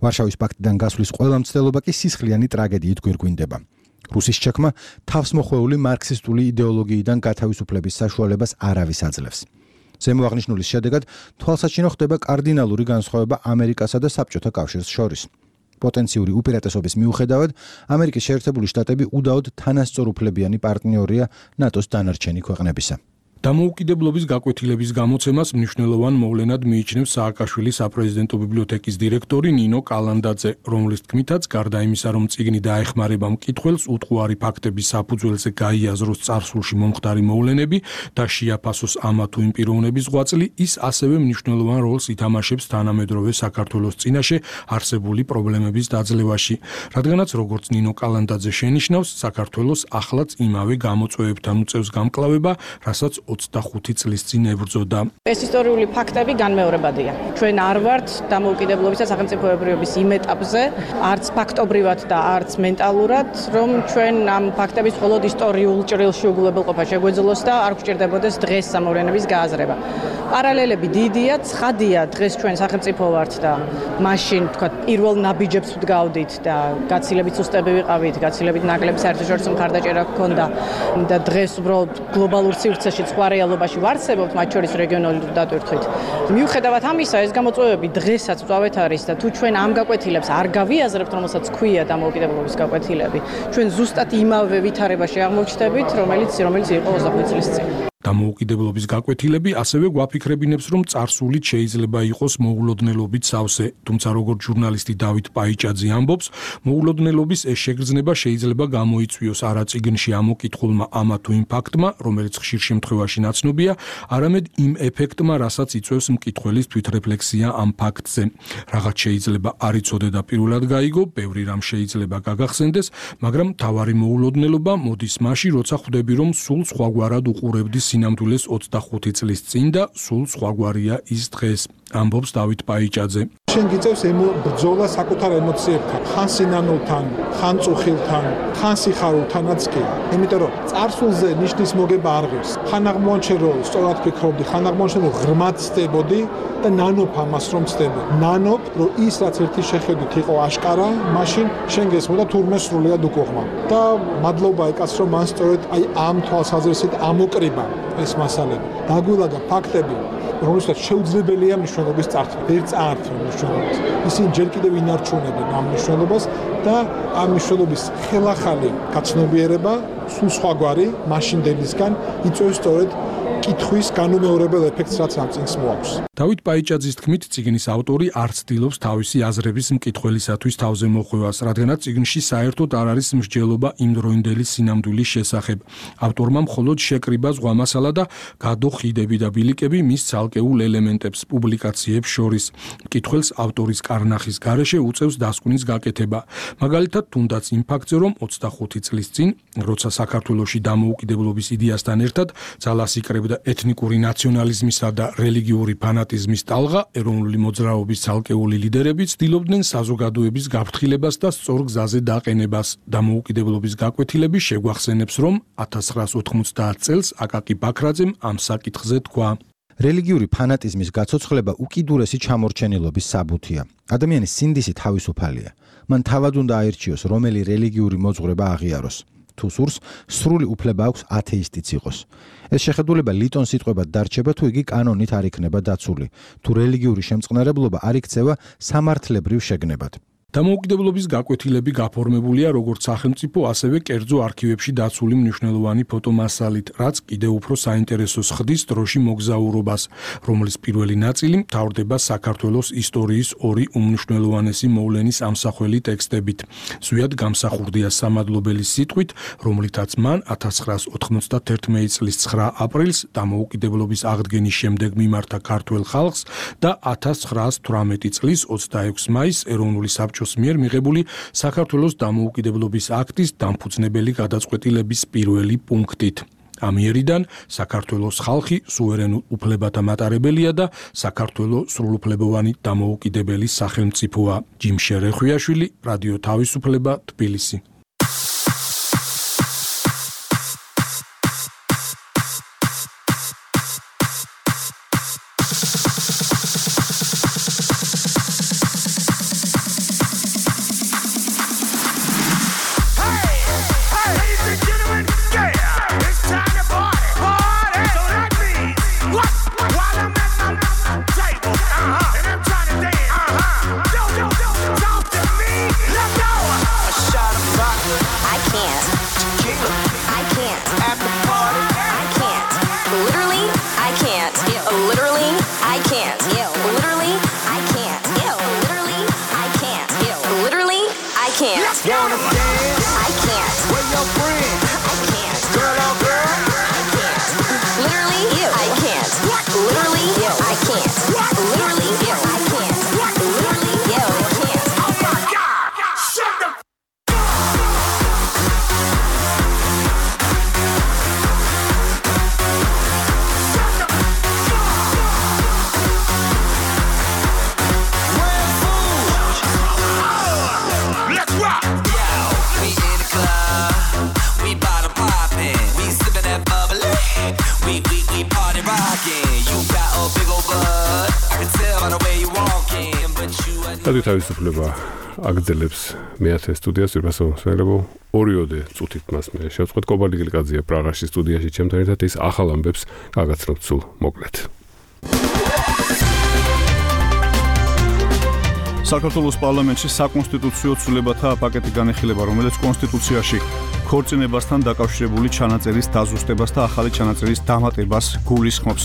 ვარშავის პაქტიდან გასვლის ყველა მცდელობა კი სისხლიანი ტრაგედიით გვირგვინდება. რუსის ჩაქმა თავსმოხვეული მარქსისტული იდეოლოგიიდან გათავისუფლების საშუალებას არავის აძლევს. ზემოაღნიშნულის შედეგად თვალსაჩინო ხდება კარდინალური განსხვავება ამერიკასა და საბჭოთა კავშირს შორის. პოტენციური უპირატესობის მიუხედავად, ამერიკის შეერთებული შტატები უდაოდ თანასწორუფლებიანი პარტნიორია ნატოს დანარჩენი ქვეყნებისა. დამოუკიდებლობის გაკვეთილების გამოცემას მნიშვნელოვან მოვლენად მიიჩნევს სააკაშვილის საპრეზიდენტო ბიბლიოთეკის დირექტორი ნინო კალანდაძე, რომლის თქმითაც გარდა იმისა, რომ წიგნი დაეხმარება მკითხველს უტყუარი ფაქტების საფუძველზე გაიაზროს წარსულში მომხდარი მოვლენები და შეაფასოს ამა თუ იმ პიროვნების ღვაწლი, ის ასევე მნიშვნელოვან როლს ითამაშებს თანამედროვე საქართველოს წინაშე არსებული პრობლემების დაძლევაში. რადგანაც როგორც ნინო კალანდაძე შენიშნავს, საქართველოს ახლაც იმავე გამოწვევებთან უწევს გამკლავება, რასაც 25 წლის წინ ებრძოდა. ეს ისტორიული ფაქტები განმეორებადია. ჩვენ არ ვართ დამოუკიდებლობის და სახელმწიფოებრიობის იმ ეტაპზე, არც ფაქტობრივად და არც მენტალურად, რომ ჩვენ ამ ფაქტების მხოლოდ ისტორიულ ჭრილში უგულებელყოფა შეგვეძლოს და არ გვჭირდებოდეს დღეს სამოვლენების გააზრება. პარალელები დიდია, ცხადია, დღეს ჩვენ სახელმწიფო ვართ და მაშინ, თქვათ, პირველ ნაბიჯებს ვდგავდით და გაცილებით სუსტები ვიყავით, გაცილებით ნაკლები საერთაშორისო მხარდაჭერა გქონდა და დღეს უბრალოდ გლობალურ სივრცეში სხვა რეალობაში ვარსებობთ, მათ შორის რეგიონული დატვირთვით. მიუხედავად ამისა, ეს გამოწვევები დღესაც მწვავედ არის და თუ ჩვენ ამ გაკვეთილებს არ გავიაზრებთ, რომელსაც ქვია დამოუკიდებლობის გაკვეთილები, ჩვენ ზუსტად იმავე ვითარებაში აღმოჩნდებით, რომელიც იყო 25 წლის წინ. დამოუკიდებლობის გაკვეთილები ასევე გვაფიქრებინებს, რომ წარსულით შეიძლება იყოს მოულოდნელობით სავსე, თუმცა როგორც ჟურნალისტი დავით პაიჭაძე ამბობს, მოულოდნელობის ეს შეგრძნება შეიძლება გამოიწვიოს არა წიგნში ამოკითხულმა ამა თუ იმ ფაქტმა, რომელიც ხშირ შემთხვევაში ნაცნობია, არამედ იმ ეფექტმა, რასაც იწვევს მკითხველის თვითრეფლექსია ამ ფაქტზე. რაღაც შეიძლება არ იცოდე და პირველად გაიგო, ბევრი რამ შეიძლება გაგახსენდეს, მაგრამ მთავარი მოულოდნელობა მოდის მაშინ, როცა ხვდები, რომ სულ სხვაგვარად უყურებდი სინამდვილეს 25 წლის წინ და სულ სხვაგვარია ის დღეს. ამბობს დავით პაიჭაძე. შენ გიწევს ბრძოლა საკუთარ ემოციებთან, ხან სინანულთან, ხან წუხილთან, ხან სიხარულთანაც კი. იმიტომ რომ წარსულზე ნიშნის მოგება არ ღირს. ხან აღმოაჩენ რომ სწორად ფიქრობდი, ხან აღმოაჩენ რომ ღრმად ცდებოდი და ნანობ ამას რომ ცდებოდი. ნანობ რომ ის რაც ერთი შეხედვით იყო აშკარა, მაშინ შენ გესმოდა თურმე სრულიად უკუღმა. და მადლობა ეკაც რომ მან სწორედ აი ამ თვალსაზრისით ამოკრიბა ეს მასალები. დაგვილაგა ფაქტები, რომელსაც შეუძლებელია მნიშვნელობის წარსული. ვერ წაართვა მნიშვნელობას. ისინი ჯერ კიდევ ინარჩუნებენ ამ მნიშვნელობას და ამ მნიშვნელობის ხელახალი გაცნობიერება სულ სხვაგვარი მაშინდელისგან იწვევს სწორედ კითხვის განუმეორებელ ეფექტს, რაც ამ წიგნს მოაქვს. დავით პაიჭაძის თქმით, წიგნის ავტორი არ ცდილობს თავისი აზრების მკითხველისათვის თავზე მოხვევას, რადგანაც წიგნში საერთოდ არ არის მსჯელობა იმდროინდელი სინამდვილის შესახებ. ავტორმა მხოლოდ შეკრიბა ზღვამასალა და გადო ხიდები და ბილიკები მის ცალკეულ ელემენტებს პუბლიკაციებს შორის. მკითხველს ავტორის კარნახის გარეშე უწევს დასკვნის გაკეთება. მაგალითად, თუნდაც იმ ფაქტზე, რომ 25 წლის წინ, როცა საქართველოში დამოუკიდებლობის იდეასთან ერთად ძალას იკრებდა ეთნიკური ნაციონალიზმისა და რელიგიური ფანატიზმის ტალღა, ეროვნული მოძრაობის ცალკეული ლიდერები ცდილობდნენ საზოგადოების გაფრთხილებას და სწორ გზაზე დაყენებას. დამოუკიდებლობის გაკვეთილები შეგვახსენებს, რომ 1990 წელს აკაკი ბაქრაძემ ამ საკითხზე თქვა. რელიგიური ფანატიზმის გაცოცხლება უკიდურესი ჩამორჩენილობის საბუთია. ადამიანის სინდისი თავისუფალია. მან თავად უნდა აირჩიოს, რომელი რელიგიური მოძღვრება აღიაროს. თუ სურს, სრული უფლება აქვს ათეისტიც იყოს. ეს შეხედულება ლიტონს სიტყვებად დარჩება, თუ იგი კანონით არ იქნება დაცული, თუ რელიგიური შემწყნარებლობა არ იქცევა სამართლებრივ შეგნებად. დამოუკიდებლობის გაკვეთილები გაფორმებულია როგორც სახელმწიფო, ასევე კერძო არქივებში დაცული მნიშვნელოვანი ფოტომასალით, რაც კიდევ უფრო საინტერესოს ხდის დროში მოგზაურობას, რომლის პირველი ნაწილი მთავრდება საქართველოს ისტორიის ორი უმნიშვნელოვანესი მოვლენის ამსახველი ტექსტებით. ზვიად გამსახურდია სამადლობელი სიტყვით, რომლითაც მან 1991 წლის 9 აპრილს დამოუკიდებლობის აღდგენის შემდეგ მიმართა ქართველ ხალხს და 1918 წლის 26 მაისს ეროვნული საბჭოს მიერ მიღებული საქართველოს დამოუკიდებლობის აქტის დამფუძნებელი გადაწყვეტილების პირველი პუნქტით. ამ იერიდან საქართველოს ხალხი სუვერენულ უფლებათა მატარებელია და საქართველოს სრულუფლებოვანი დამოუკიდებელი სახელმწიფოა. ჯიმშე რეხვიაშვილი, რადიო თავისუფლება, თბილისი. Shot 'em by რადიო თავისუფლება აგრძელებს მეათე სტუდიას ვირფასოვსველებო ორიოდე წუთით მას მე შევწყვეტ კობალდი გილკაძეა პრაღაში სტუდიაში ჩემთან ერთად ის ახალ ამბებს გაგაცნობთ სულ მოკლედ. საქართველოს პარლამენტში საკონსტიტუციო ცვლილებათა პაკეტი განეხილება, რომელიც კონსტიტუციაში ქორწინებასთან დაკავშირებული ჩანაწერის დაზუსტებას და ახალი ჩანაწერის დამატებას გულისხმობს.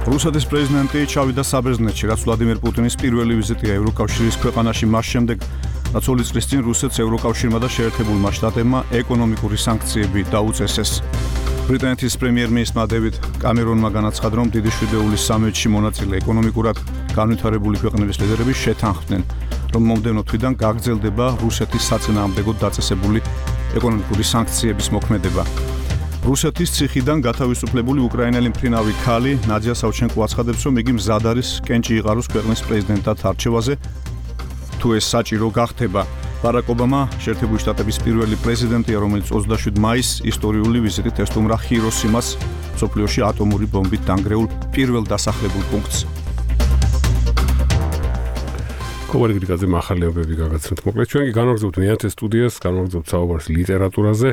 რუსეთის პრეზიდენტი ჩავიდა საბერძნეთში, რაც ვლადიმერ პუტინის პირველი ვიზიტია ევროკავშირის ქვეყანაში მას შემდეგ, რაც 2 წლის წინ რუსეთს ევროკავშირმა და შეერთებულმა შტატებმა ეკონომიკური სანქციები დაუწესეს. ბრიტანეთის პრემიერ-მინისტრმა დევიდ კამერონმა განაცხადა, რომ დიდი შვიდეულის სამიტში მონაწილე ეკონომიკურად განვითარებული ქვეყნების ლიდერები შეთანხმდნენ, რომ მომდევნო თვიდან გაგრძელდება რუსეთის საწინააღმდეგოდ დაწესებული ეკონომიკური სანქციების მოქმედება. რუსეთის ციხიდან გათავისუფლებული უკრაინელი მფრინავი ქალი ნადია სავჩენკო აცხადებს, რომ იგი მზად არის კენჭი იყაროს ქვეყნის პრეზიდენტად არჩევაზე, თუ ეს საჭირო გახდება. ბარაკ ობამა შეერთებული შტატების პირველი პრეზიდენტია, რომელიც 27 მაისს ისტორიული ვიზიტით ესტუმრა ჰიროსიმას, მსოფლიოში ატომური ბომბით დანგრეულ პირველ დასახლებულ პუნქტს. კობალდი გილკაძე ახალი ამბები გაგაცნობთ მოკლედ. ჩვენ კი განვაგრძობთ მეათე სტუდიას, განვაგრძობთ საუბარს ლიტერატურაზე.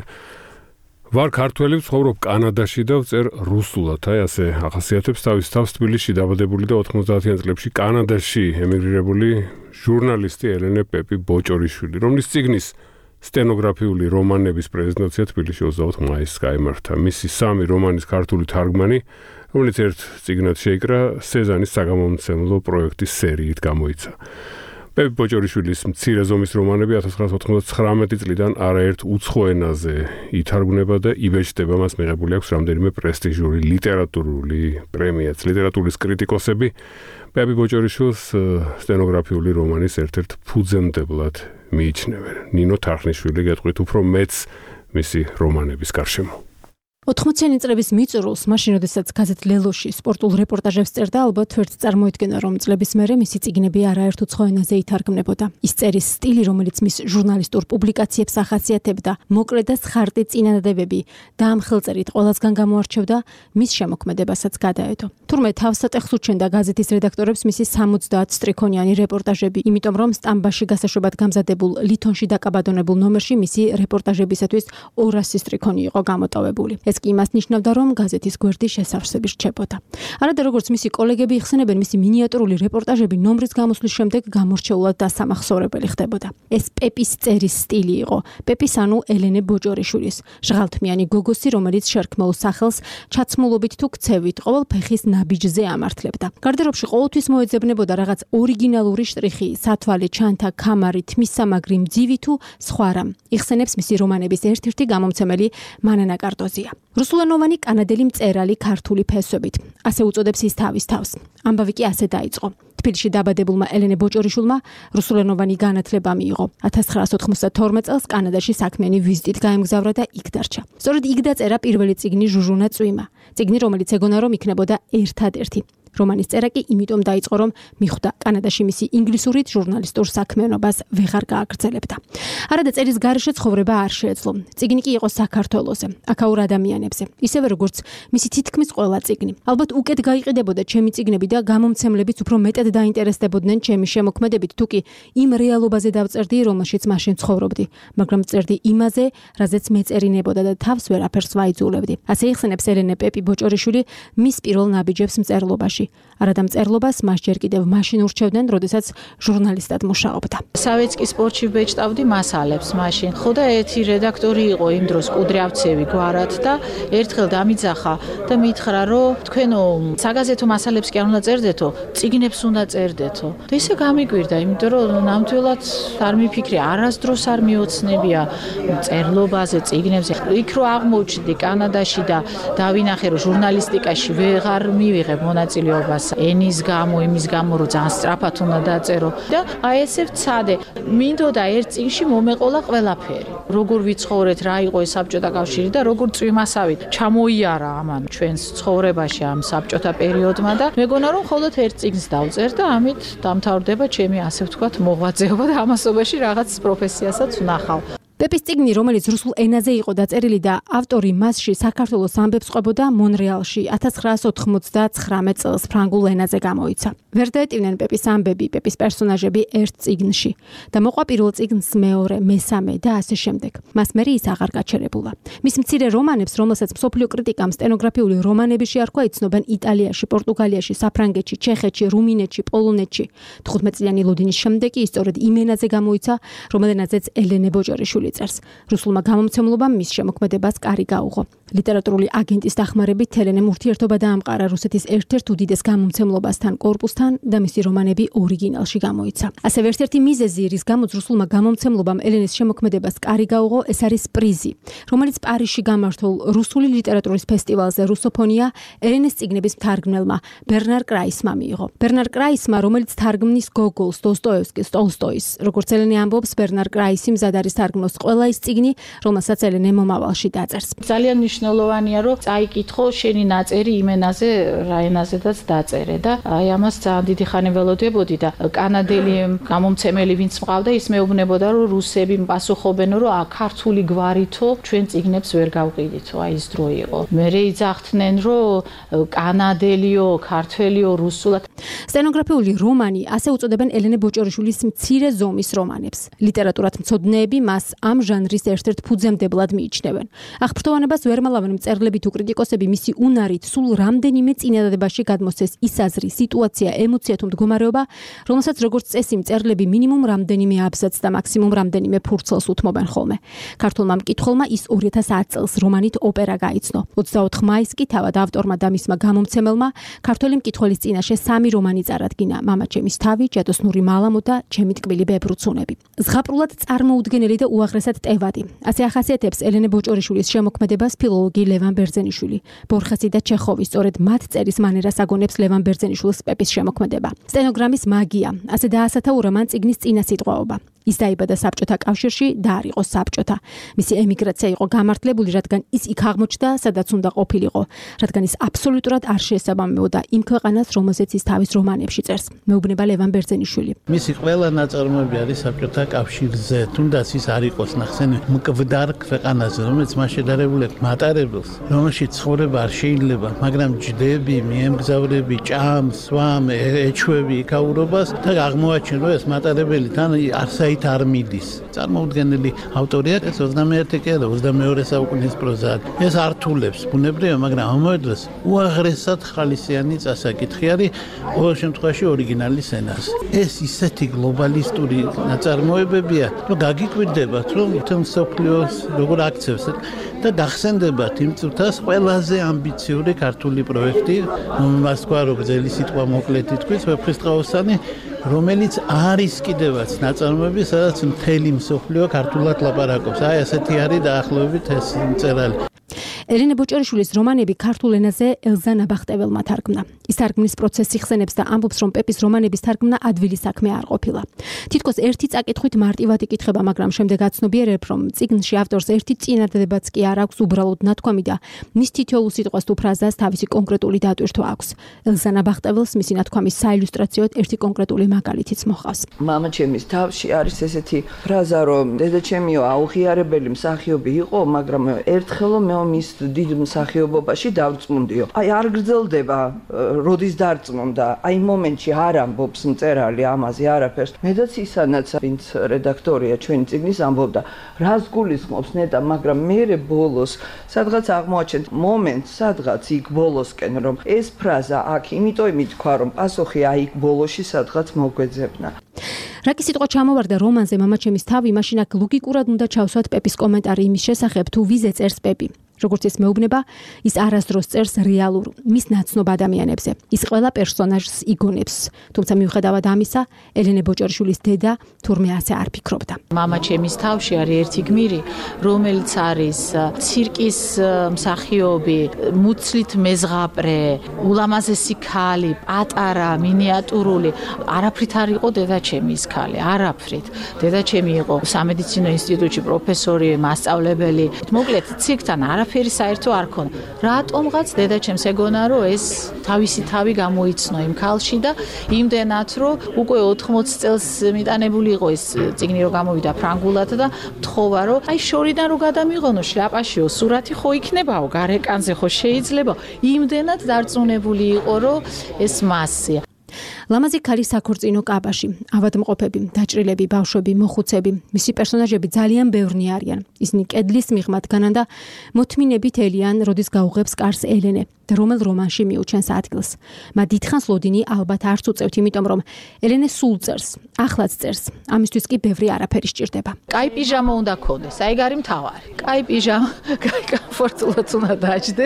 ვარ ქართველი, ვცხოვრობ კანადაში და ვწერ რუსულად. აი ასე ახასიათებს თავის თავს თბილისში დაბადებული და 90-იან წლებში კანადაში ემიგრირებული ჟურნალისტი ელენე პეპი ბოჭორიშვილი, რომლის წიგნის სტენოგრაფიული რომანების პრეზენტაცია თბილისში 24 მაისს გაიმართა. მისი 3 რომანის ქართული თარგმანი, რომელიც ერთ წიგნად შეიკრა სეზანის საგამომცემლო პროექტის სერიით გამოიცა. პეპი ბოჭორიშვილის მცირე ზომის რომანები 1999 წლიდან არაერთ უცხო ენაზე ითარგმნება და იბეჭდება, მას მიღებული აქვს რამდენიმე პრესტიჟული ლიტერატურული პრემიაც. ლიტერატურის კრიტიკოსები პეპი ბოჭორიშვილს სტენოგრაფიული რომანის ერთ-ერთ ფუძემდებლად მიიჩნევენ. ნინო თარხნიშვილი გეტყვით უფრო მეც მისი რომანების გარშემო. 80-იანი წლების მიწურულს, მაშინ როდესაც გაზეთ ლელოში სპორტულ რეპორტაჟებს წერდა, ალბათ ვერც წარმოიდგენა, რომ წლების მერე მისი წიგნები არაერთ უცხო ენაზე ითარგმნებოდა. ის წერის სტილი, რომელიც მის ჟურნალისტურ პუბლიკაციებს ახასიათებდა, მოკლე და სხარტი წინადადებები და ამ ხელწერით ყველასგან გამოარჩევდა, მის შემოქმედებასაც გადაედო. თურმე თავსატეხს უჩენდა გაზეთის რედაქტორებს მისი 70 სტრიქონიანი რეპორტაჟები, იმიტომ რომ სტამბაში გასაშვებად გამზადებულ ლითონში დაკაბადონებულ ნომერში მისი რეპორტაჟებისათვის 200 სტრიქონი იყო გამოტოვებული. ეს კი იმას ნიშნავდა, რომ გაზეთის გვერდი შესავსები რჩებოდა. არადა როგორც მისი კოლეგები იხსენებენ, მისი მინიატურული რეპორტაჟები ნომრის გამოსვლის შემდეგ გამორჩეულად დასამახსოვრებელი ხდებოდა. ეს პეპის წერის სტილი იყო. პეპის ანუ ელენე ბოჭორიშვილის, ჟღალთმიანი გოგოსი, რომელიც შერქმეულ სახელს ჩაცმულობით თუ ქცევით ყოველ ფეხის ნაბიჯზე ამართლებდა. გარდერობში ყოველთვის მოეძებნებოდა რაღაც ორიგინალური შტრიხი, სათვალე, ჩანთა, ქამარი, თმისსამაგრი, მძივი თუ სხვა რამ. იხსენებს მისი რომანების ერთ-ერთი გამომცემელი მანანა კარტოზია. რუსულენოვანი კანადელი მწერალი ქართული ფესვებით. ასე უწოდებს ის თავის თავს. ამბავი კი ასე დაიწყო. თბილისში დაბადებულმა ელენე ბოჭორიშვილმა რუსულენოვანი განათლება მიიღო. 1992 წელს კანადაში საქმიანი ვიზიტით გაემგზავრა და იქ დარჩა. სწორედ იქ დაწერა პირველი წიგნი ჟუჟუნა წვიმა. წიგნი, რომელიც ეგონა რომ იქნებოდა ერთადერთი. რომანის წერა კი იმიტომ დაიწყო, რომ მიხვდა კანადაში მისი ინგლისურით ჟურნალისტურ საქმიანობას ვეღარ გააგრძელებდა. არადა წერის გარეშე ცხოვრება არ შეეძლო. წიგნი კი იყო საქართველოზე, აქაურ ადამიანებზე, ისევე როგორც მისი თითქმის ყველა წიგნი. ალბათ უკეთ გაიყიდებოდა ჩემი წიგნები და გამომცემლებიც უფრო მეტად დაინტერესდებოდნენ ჩემი შემოქმედებით, თუკი იმ რეალობაზე დავწერდი, რომელშიც მაშინ ცხოვრობდი, მაგრამ წერდი იმაზე, რაზეც მეწერინებოდა და თავს ვერაფერს ვაიძულებდი. ასე იხსენებს ელენე პეპი ბოჭორიშვილი მის პირველ ნაბიჯებს მწერლობაში. არადა მწერლობას მას ჯერ კიდევ მაშინ ურჩევდნენ, როდესაც ჟურნალისტად მუშაობდა. სავეცკი სპორტში ბეჭდავდი მასალებს მაშინ. ხო და ერთი რედაქტორი იყო იმ დროს კუდრიავცევი გვარად და ერთხელ დამიძახა და მითხრა, რომ თქვენო საგაზეთო მასალებს კი არ უნდა წერდეთო, წიგნებს უნდა წერდეთო. და ისე გამიგვირდა, იმიტომ რომ ნამდვილად არ მიფიქრე, არასდროს არ მიოცნებია მწერლობაზე, წიგნებზე. იქ რო აღმოჩნდი კანადაში და დავინახე, რომ ჟურნალისტიკაში ვეღარ მივიღებ მონაწილეობას ენის გამო, იმის გამო, რომ ძალიან სწრაფად უნდა დაწერო და აი ესე ვცადე. მინდოდა ერთ წიგნში მომეყოლა ყველაფერი. როგორ ვიცხოვრეთ, რა იყო ეს საბჭოთა კავშირი და როგორ წვიმასავით ჩამოიარა ამან ჩვენს ცხოვრებაში ამ საბჭოთა პერიოდმა და მეგონა რომ მხოლოდ ერთ წიგნს დავწერ და ამით დამთავრდება ჩემი ასე ვთქვათ მოღვაწეობა და ამასობაში რაღაც პროფესიასაც ვნახავ. პეპის წიგნი, რომელიც რუსულ ენაზე იყო დაწერილი და ავტორი მასში საქართველოს ამბებს ყვებოდა მონრეალში 1999 წელს ფრანგულ ენაზე გამოიცა. ვერ დაეტივნენ პეპის ამბები, პეპის პერსონაჟები ერთ წიგნში და მოყვა პირველ წიგნს მეორე, მესამე და ასე შემდეგ. მას მერე ის აღარ გაჩერებულა. მის მცირე რომანებს, რომელსაც მსოფლიო კრიტიკამ სტენოგრაფიული რომანები შეარქვა, იცნობენ იტალიაში, პორტუგალიაში, საფრანგეთში, ჩეხეთში, რუმინეთში, პოლონეთში. 15 წლიანი ლოდინის შემდეგ ის სწორედ იმ ენაზე გამოიცა, რომელზეც ელენე ბოჭორიშვილი წერს. რუსულმა გამომცემლობამ მის შემოქმედებას კარი გაუღო. ლიტერატურული აგენტის დახმარებით ელენემ ურთიერთობა დაამყარა რუსეთის ერთ-ერთ უდიდეს გამომცემლობასთან, კორპუსთან და მისი რომანები ორიგინალში გამოიცა. ასევე ერთ-ერთი მიზეზი, რის გამოც რუსულმა გამომცემლობამ ელენეს შემოქმედებას კარი გაუღო, ეს არის პრიზი, რომელიც პარიზში გამართულ რუსული ლიტერატურის ფესტივალზე რუსოფონია ელენეს წიგნების მთარგმნელმა ბერნარ კრაისმა მიიღო. ბერნარ კრაისმა, რომელიც თარგმნის გოგოლს, დოსტოევსკის, ტოლსტოის, როგორც ელენე ამბობს, ბერნარ კრაისი მზად არის თარგმნოს ყველა ის წიგნი, რომელსაც ელენე მომავალში დაწერს. ძალიან მნიშვნელოვანია, რომ წაიკითხო შენი ნაწერი იმ ენაზე, რა ენაზედაც დაწერე და აი ამას ძალიან დიდი ხანი ველოდებოდი და კანადელი გამომცემელი ვინც მყავდა, ის მეუბნებოდა, რომ რუსები პასუხობენ, რომ ქართული გვარითო ჩვენ წიგნებს ვერ გავყიდითო, აი ეს დრო იყო. მერე იძახდნენ, რომ კანადელიო, ქართველიო, რუსულად. სტენოგრაფიული რომანი, ასე უწოდებენ ელენე ბოჭორიშვილის მცირე ზომის რომანებს. ლიტერატურად მცოდნეები მას ამ ჟანრის ერთ-ერთ ფუძემდებლად მიიჩნევენ. აღფრთოვანებას ვერ მალავენ მწერლები თუ კრიტიკოსები მისი უნარით სულ რამდენიმე წინადადებაში გადმოსცეს ის აზრი, სიტუაცია, ემოცია თუ მდგომარეობა, რომელსაც როგორც წესი მწერლები მინიმუმ რამდენიმე აბზაცს და მაქსიმუმ რამდენიმე ფურცელს უთმობენ ხოლმე. ქართულმა მკითხველმა ის 2010 წელს რომანით ოპერა გაიცნო. 24 მაისს კი თავად ავტორმა და მისმა გამომცემელმა ქართველი მკითხველის წინაშე 3 რომანი წარადგინა: მამა ჩემის თავი, ჯადოსნური მალამო და ჩემი ტკბილი ბებრუცუნები. ზღაპრულად წარმოუდგენელი და უაღრესად ტევადი. ასე ახასიათებს ელენე ბოჭორიშვილის შემოქმედებას ფილოლოგი ლევან ბერძენიშვილი. ბორხესი და ჩეხოვი სწორედ მათ წერის მანერას აგონებს ლევან ბერძენიშვილის პეპის შემოქმედება. სტენოგრამის მაგია, ასე დაასათაურა მან წიგნის წინასიტყვაობა. ის დაიბადა საბჭოთა კავშირში და არ იყო საბჭოთა. მისი ემიგრაცია იყო გამართლებული, რადგან ის იქ აღმოჩნდა, სადაც უნდა ყოფილიყო, რადგან ის აბსოლუტურად არ შეესაბამებოდა იმ ქვეყანას, რომელზეც ის თავის რომანებში წერს. მეუბნება ლევან ბერძენიშვილი. მისი ყველა ნაწარმოები არის საბჭოთა კავშირზე, თუნდაც ის არ იყოს ნახსენი მკვდარ ქვეყანაზე, რომელიც მას შედარებული აქვს მატარებელს, რომელშიც ცხოვრება არ შეიძლება, მაგრამ ჯდები, მიემგზავრები, ჭამს, სვამ, ეჩვევი იქაურობას და აღმოაჩენ, რომ ეს მატარებელი თან არსაით არ მიდის. წარმოუდგენელი ავტორია, ეს 21 კი არა, 22 საუკუნის პროზა. ეს ართულებს ბუნებრივია, მაგრამ ამავე დროს უაღრესად ხალისიანი წასაკითხი არის ყოველ შემთხვევაში ორიგინალის ენას. ეს ისეთი გლობალისტური ნაწარმოებებია, რომ გაგიკვირდებათ, რომ თემ სოფლიოს როგორ აქცევს და გახსენდებათ იმ წუთას ყველაზე ამბიციური ქართული პროექტი, მას თქვა რომ გზელი სიტყვა მოკლედ ითქვის, ვეფხისტყაოსანი, რომელიც არის კიდევაც ნაწარმოები, სადაც მთელი მსოფლიო ქართულად ლაპარაკობს. აი ასეთი არის დაახლოებით ეს მწერალი. ელენე ბოჭორიშვილის რომანები ქართულ ენაზე ელზა ნაბახტეველმა თარგმნა. ის თარგმნის პროცესს იხსენებს და ამბობს, რომ პეპის რომანების თარგმნა ადვილი საქმე არ ყოფილა. თითქოს ერთი წაკითხვით მარტივად იკითხება, მაგრამ შემდეგ აცნობიერებ, რომ წიგნში ავტორს ერთი წინადადებაც კი არ აქვს, უბრალოდ ნათქვამი და მის თითოეულ სიტყვას თუ ფრაზას თავისი კონკრეტული დატვირთვა აქვს. ელზა ნაბახტეველს მისი ნათქვამის საილუსტრაციოდ ერთი კონკრეტული მაგალითიც მოჰყავს. მამა ჩემის თავში არის ესეთი ფრაზა, რომ დედა ჩემიო აუღიარებელი მსახიობი იყო, მაგრამ ერთხელ მის დიდ მსახიობობაში დავწმუნდიო. აი არ გრძელდება, როდის დარწმუნდა. აი მომენტში არ ამბობს მწერალი ამაზე არაფერს. მედაც ისანაც ვინც რედაქტორია ჩვენი წიგნის ამბობდა, რას გულისხმობს ნეტა, მაგრამ მერე ბოლოს სადღაც აღმოაჩენთ მომენტს, სადღაც იქ ბოლოსკენ, რომ ეს ფრაზა აქ იმიტომ ითქვა, რომ პასუხი აი იქ ბოლოში სადღაც მოგვეძებნა. რაკი სიტყვა ჩამოვარდა რომანზე მამა ჩემის თავი, მაშინ აქ ლოგიკურად უნდა ჩავსვათ პეპის კომენტარი იმის შესახებ, თუ ვიზე წერს პეპი. როგორც ის მეუბნება, ის არასდროს წერს რეალურ, მის ნაცნობ ადამიანებზე. ის ყველა პერსონაჟს იგონებს. თუმცა მიუხედავად ამისა, ელენე ბოჭორიშვილის დედა თურმე ასე არ ფიქრობდა. მამა ჩემის თავში არის ერთი გმირი, რომელიც არის ცირკის მსახიობი, მუცლით მეზღაპრე, ულამაზესი ქალი, პატარა, მინიატურული. არაფრით არ იყო დედა ჩემის ქალი, არაფრით. დედა ჩემი იყო სამედიცინო ინსტიტუტში პროფესორი, მასწავლებელი. მოკლედ, ცირკთან არაფრით არაფერი საერთო არ ქონდა. რატომღაც დედაჩემს ეგონა რომ ეს თავისი თავი გამოიცნო იმ ქალში და იმდენად რომ უკვე 80 წელს მიტანებული იყო ეს წიგნი რომ გამოვიდა ფრანგულად და მთხოვა რომ აი შორიდან რომ გადამიღონო შლაპაშიო სურათი ხო იქნებაო გარეკანზე ხო შეიძლება იმდენად დარწმუნებული იყო რომ ეს მასია. ლამაზი ქალი საქორწინო კაბაში, ავადმყოფები, დაჭრილები, ბავშვები, მოხუცები, მისი პერსონაჟები ძალიან ბევრნი არიან. ისინი კედლის მიღმად განან და მოთმინებით ელიან, როდის გაუღებს კარს ელენე და რომელ რომანში მიუჩენს ადგილს. მათ დიდხანს ლოდინი ალბათ არც უწევთ, იმიტომ რომ ელენე სულ წერს, ახლაც წერს. ამისთვის კი ბევრი არაფერი სჭირდება. კაი პიჟამა უნდა ქონდეს, აი გარი მთავარი. კაი პიჟამა, კაი კომფორტულად უნდა დაჯდე,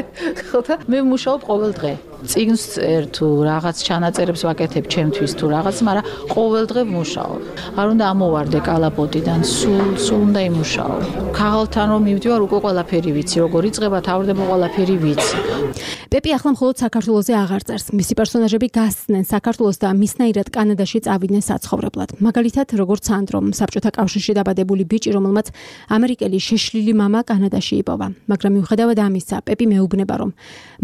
ხო და მე მუშაობ ყოველ დღე. წიგნს წერ თუ რაღაც ჩანაწერებს ვაკეთებ ჩემთვის თუ რაღაც, მაგრამ ყოველ დღე ვმუშაობ. არ უნდა ამოვარდე კალაპოტიდან, სულ უნდა იმუშაო. ქაღალთან რომ მივდივარ, უკვე ყველაფერი ვიცი, როგორ იწყება, თავდება ყველაფერი ვიცი. პეპი ახლა მხოლოდ საქართველოზე აღარ წერს. მისი პერსონაჟები გასცნენ საქართველოს და მისნაირად კანადაში წავიდნენ საცხოვრებლად. მაგალითად, როგორც სანდრო, საბჭოთა კავშირში დაბადებული ბიჭი, რომელმაც ამერიკელი შეშლილი მამა კანადაში იპოვა. მაგრამ მიუხედავად ამისა, პეპი მეუბნება, რომ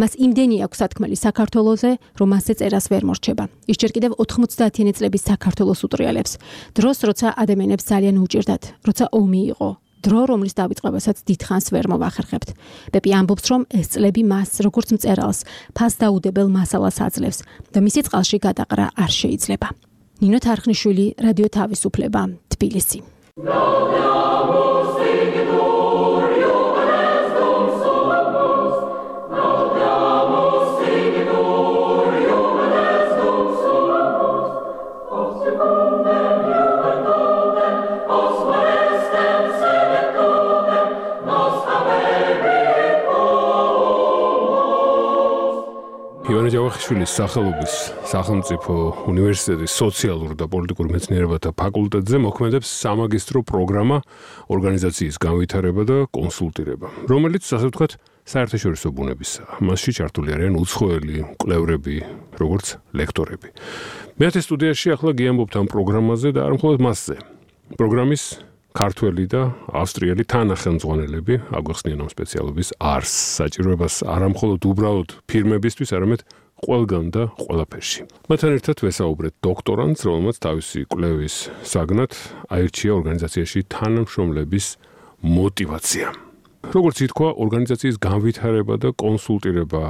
მას იმდენი აქვს სათქმელი საქართველოზე, რომ მასზე წერას ვერ მორჩება. ის ჯერ კიდევ 90-იანი წლების საქართველოს უტრიალებს. დროს, როცა ადამიანებს ძალიან უჭირდათ, როცა ომი იყო. დრო, რომლის დავიწყებასაც დიდხანს ვერ მოვახერხებთ. პეპი ამბობს, რომ ეს წლები მას, როგორც მწერალს, ფასდაუდებელ მასალას აძლევს და მისი წყალში გადაყრა არ შეიძლება. ნინო თარხნიშვილი, რადიო თავისუფლება, თბილისი. ივანე ჯავახიშვილის სახელობის სახელმწიფო უნივერსიტეტის სოციალურ და პოლიტიკურ მეცნიერებათა ფაკულტეტზე მოქმედებს სამაგისტრო პროგრამა ორგანიზაციის განვითარება და კონსულტირება, რომელიც, ასე ვთქვათ, საერთაშორისო ბუნებისაა. მასში ჩართული არიან უცხოელი მკვლევრები, როგორც ლექტორები. მეათე სტუდიაში ახლა გიამბობთ ამ პროგრამაზე და არ მხოლოდ მასზე. პროგრამის ქართველი და ავსტრიელი თანახელმძღვანელები აგვახსნიან ამ სპეციალობის არსს, საჭიროებას არა მხოლოდ უბრალოდ ფირმებისთვის, არამედ ყველგან და ყველაფერში. მათთან ერთად ვესაუბრეთ დოქტორანტს, რომელმაც თავისი კვლევის საგნად აირჩია ორგანიზაციაში თანამშრომლების მოტივაცია. როგორც ითქვა, ორგანიზაციის განვითარება და კონსულტირება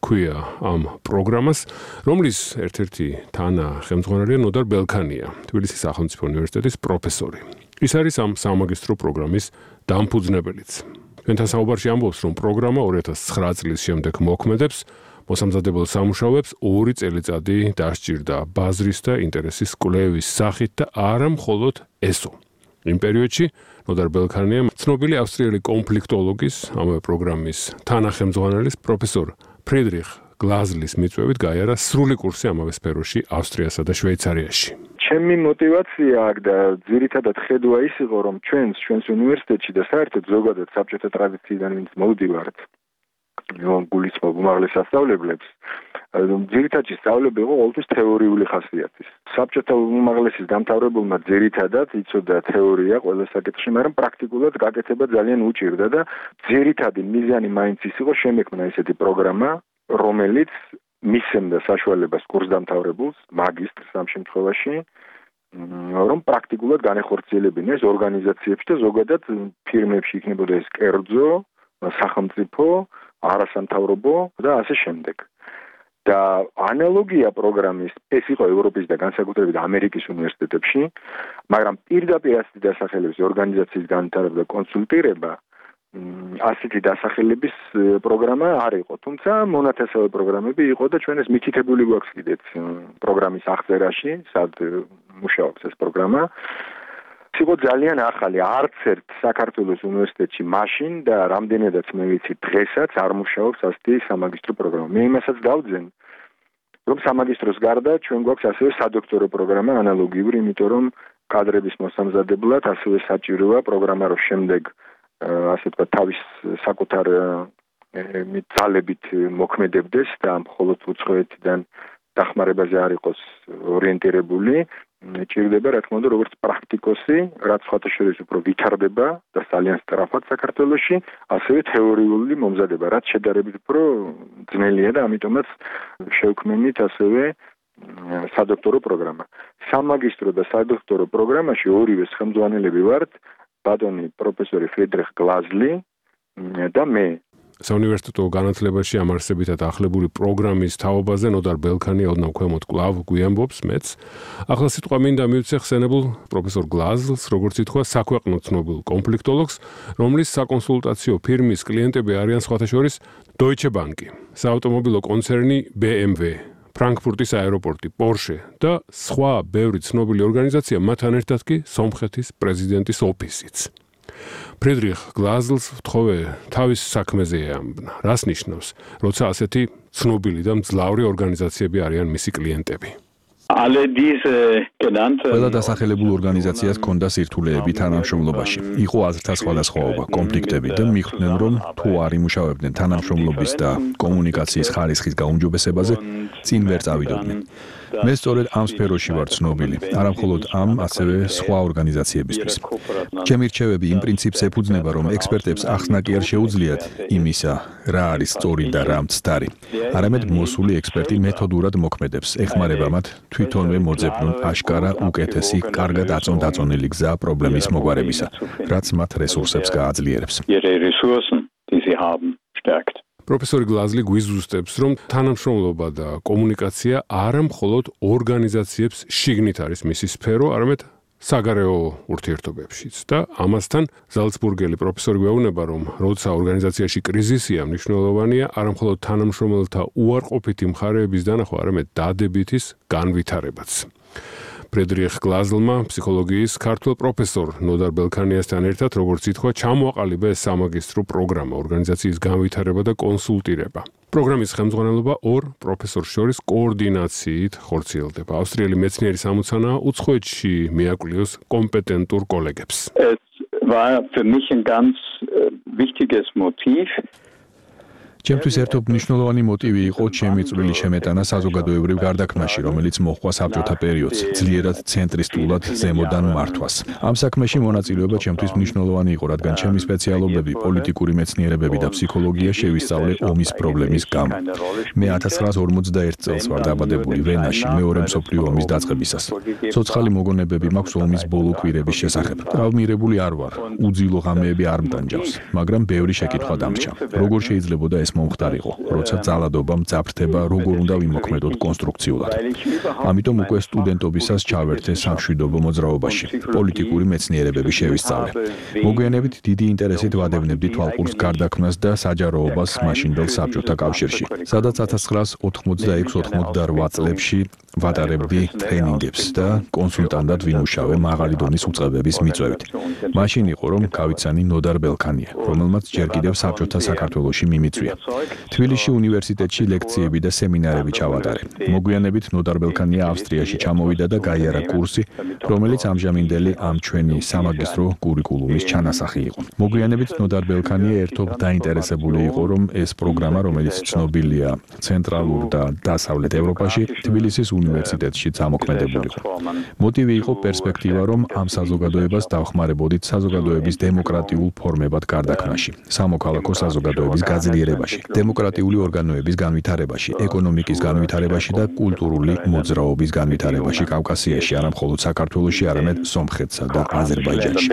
ქვია ამ პროგრამას, რომლის ერთ-ერთი თანახელმძღვანელია ნოდარ ბელქანია, თბილისის სახელმწიფო უნივერსიტეტის პროფესორი. ის არის ამ სამაგისტრო პროგრამის დამფუძნებელიც. ჩვენთან საუბარში ამბობს, რომ პროგრამა 2009 წლის შემდეგ მოქმედებს, მოსამზადებელ სამუშაოებს 2 წელიწადი დასჭირდა ბაზრის და ინტერესის კვლევის სახით და არა მხოლოდ ესო. იმ პერიოდში ნოდარ ბელქანია ცნობილი ავსტრიელი კონფლიქტოლოგის, ამავე პროგრამის თანახელმძღვანელის პროფესორ ფრიდრიხ გლაზლის მიწვევით გაიარა სრული კურსი ამავე სფეროში ავსტრიასა და შვეიცარიაში. ჩემი мотивация და ძირითადად ხედვა ის იყო, რომ ჩვენს უნივერსიტეტში და საერთოდ ზოგადად საბჭოთა ტრადიციიდან ვინც მოვდივართ, რომ გულისხმობ უმაღლეს სასწავლებლებს, ძირითადად სწავლება იყო ყოველთვის თეორიული ხასიათის. საბჭოთა უმაღლესის დამთავრებულმა ძირითადად იცოდა თეორია ყველა საკითხში, მაგრამ პრაქტიკულად გაკეთება ძალიან უჭირდა და ძირითადი მიზანი მაინც ის იყო შემექმნა ესეთი პროგრამა, რომელიც მისცემდა საშუალებას კურსდამთავრებულს, მაგისტრს ამ შემთხვევაში, რომ პრაქტიკულად განეხორციელებინა ეს ორგანიზაციებში და ზოგადად ფირმებში იქნებოდა ეს კერძო, სახელმწიფო, არასამთავრობო და ასე შემდეგ. და ანალოგია პროგრამის ეს იყო ევროპის და განსაკუთრებით ამერიკის უნივერსიტეტებში, მაგრამ პირდაპირ ასეთი დასახელების ორგანიზაციის განვითარება და კონსულტირება ასეთი დასახელების პროგრამა არ იყო, თუმცა მონათესავე პროგრამები იყო და ჩვენ ეს მითითებული გვაქვს კიდეც პროგრამის აღწერაში, სად მუშაობს ეს პროგრამა. იყო ძალიან ახალი, არც ერთ საქართველოს უნივერსიტეტში მაშინ და რამდენადაც მე ვიცი დღესაც არ მუშაობს ასეთი სამაგისტრო პროგრამა. მე იმასაც დავძენ, რომ სამაგისტროს გარდა ჩვენ გვაქვს ასევე სადოქტორო პროგრამა ანალოგიური, იმიტომ რომ კადრების მოსამზადებლად ასევე საჭიროა პროგრამა, რომ შემდეგ ასე თქვა თავის საკუთარ ძალებით მოქმედებდეს და მხოლოდ უცხოეთიდან დახმარებაზე არ იყოს ორიენტირებული ჭირდება, რა თქმა უნდა, როგორც პრაქტიკოსი, რაც სხვათა შორის უფრო ვითარდება და ძალიან სწრაფად საქართველოში, ასევე თეორიული მომზადება, რაც შედარებით უფრო ძნელია და ამიტომაც შევქმნით ასევე სადოქტორო პროგრამა. სამაგისტრო და სადოქტორო პროგრამაში ორივე ხელმძღვანელები ვართ, ბატონი პროფესორი ფრიდრიხ გლაზლი და მე. საუნივერსიტეტო განათლებაში ამ არსებითად ახლებული პროგრამის თაობაზე ნოდარ ბელქანი ოდნავ ქვემოთ კვლავ გვიამბობს მეც. ახლა სიტყვა მინდა მივცე ხსენებულ პროფესორ გლაზლს, როგორც ითქვა, საქვეყნო ცნობილ კონფლიქტოლოგს, რომლის საკონსულტაციო ფირმის კლიენტები არიან სხვათა შორის Deutsche Bank, საავტომობილო კონცერნი BMW, ფრანკფურტის აეროპორტი, Porsche და სხვა ბევრი ცნობილი ორგანიზაცია, მათთან ერთად კი სომხეთის პრეზიდენტის ოფისიც. ფრიდრიხ გლაზლს ვთხოვე თავის საქმეზე ეამბნა. რას ნიშნავს, როცა ასეთი ცნობილი და მძლავრი ორგანიზაციები არიან მისი კლიენტები? ყველა დასახელებულ ორგანიზაციას ჰქონდა სირთულეები თანამშრომლობაში. იყო აზრთა სხვადასხვაობა, კონფლიქტები და მიხვდნენ, რომ თუ არ იმუშავებდნენ თანამშრომლობის და კომუნიკაციის ხარისხის გაუმჯობესებაზე, წინ ვერ წავიდოდნენ. მე სწორედ ამ სფეროში ვარ ცნობილი, არა მხოლოდ ამ, ასევე სხვა ორგანიზაციებისთვის. ჩემი რჩევები იმ პრინციპს ეფუძნება, რომ ექსპერტებს ახსნა კი არ შეუძლიათ იმისა, რა არის სწორი და რა მცდარი. არამედ მოსული ექსპერტი მეთოდურად მოქმედებს, ეხმარება მათ თვითონვე მოძებნონ აშკარა უკეთესი, კარგად აწონდაწონილი გზა პრობლემის მოგვარებისა, რაც მათ რესურსებს გააძლიერებს. პროფესორი გლაზლი გვიზუსტებს, რომ თანამშრომლობა და კომუნიკაცია არა მხოლოდ ორგანიზაციებს შიგნით არის მისი სფერო, არამედ საგარეო ურთიერთობებშიც და ამასთან ზალცბურგელი პროფესორი გვეუბნება, რომ როცა ორგანიზაციაში კრიზისია, მნიშვნელოვანია არა მხოლოდ თანამშრომელთა უარყოფითი მხარეების დანახვა, არამედ დადებითის განვითარებაც. ფრიდრიხ გლაზლმა ფსიქოლოგიის ქართველ პროფესორ ნოდარ ბელქანიასთან ერთად, როგორც ითქვა, ჩამოაყალიბა ეს სამაგისტრო პროგრამა, ორგანიზაციის განვითარება და კონსულტირება. პროგრამის ხელმძღვანელობა ორ პროფესორს შორის კოორდინაციით ხორციელდება. ავსტრიელი მეცნიერი სამოცანაა უცხოეთში მიაკვლიოს კომპეტენტურ კოლეგებს. Es war für mich ein ganz wichtiges Motiv. ჩემთვის ერთობ მნიშვნელოვანი მოტივი იყო ჩემი წვლილი შემეტანა საზოგადოებრივ გარდაქმნაში, რომელიც მოჰყვა საბჭოთა პერიოდს, ძლიერად ცენტრისტულად ზემოდან მართვას. ამ საქმეში მონაწილეობა ჩემთვის მნიშვნელოვანი იყო, რადგან ჩემი სპეციალობები, პოლიტიკური მეცნიერებები და ფსიქოლოგია შევისწავლე ომის პრობლემის გამო. მე 1941 წელს ვარ დაბადებული ვენაში, მეორე მსოფლიო ომის დაწყებისას. ცოცხალი მოგონებები მაქვს ომის ბოლო კვირების შესახებ. ტრავმირებული არ ვარ, უძილო ღამეები არ მტანჯავს, მაგრამ ბევრი შეკითხვა დამრჩა. როგორ შეიძლებოდა ეს მომხდარიყო, როცა ძალადობა მძაფრდება, როგორ უნდა ვიმოქმედოთ კონსტრუქციულად. ამიტომ უკვე სტუდენტობისას ჩავერთე სამშვიდობო მოძრაობაში, პოლიტიკური მეცნიერებები შევისწავლე. მოგვიანებით დიდი ინტერესით ვადევნებდი თვალყურს გარდაქმნას და საჯაროობას მაშინდელ საბჭოთა კავშირში, სადაც 1986-88 წლებში ვატარებდი ტრენინგებს და კონსულტანტად ვიმუშავე მაღალი დონის უწყებების მიწვევით. მაშინ იყო, რომ გავიცანი ნოდარ ბელქანია, რომელმაც ჯერ კიდევ საბჭოთა საქართველოში მიმიწვია. თბილისში უნივერსიტეტში ლექციები და სემინარები ჩავატარე. მოგვიანებით ნოდარ ბელქანია ავსტრიაში ჩამოვიდა და გაიარა კურსი, რომელიც ამჟამინდელი ამ ჩვენი სამაგისტრო კურიკულუმის ჩანასახი იყო. მოგვიანებით ნოდარ ბელქანია ერთობ დაინტერესებული იყო, რომ ეს პროგრამა, რომელიც ცნობილია ცენტრალურ და დასავლეთ ევროპაში, თბილისის უნივერსიტეტში ამოქმედებულიყო. მოტივი იყო პერსპექტივა, რომ ამ საზოგადოებას დავხმარებოდით საზოგადოების დემოკრატიულ ფორმებად გარდაქმნაში, სამოქალაქო საზოგადოების გაძლიერებაში, დემოკრატიული ორგანოების განვითარებაში, ეკონომიკის განვითარებაში და კულტურული მოძრაობის განვითარებაში კავკასიაში, არა მხოლოდ საქართველოში, არამედ სომხეთსა და აზერბაიჯანში.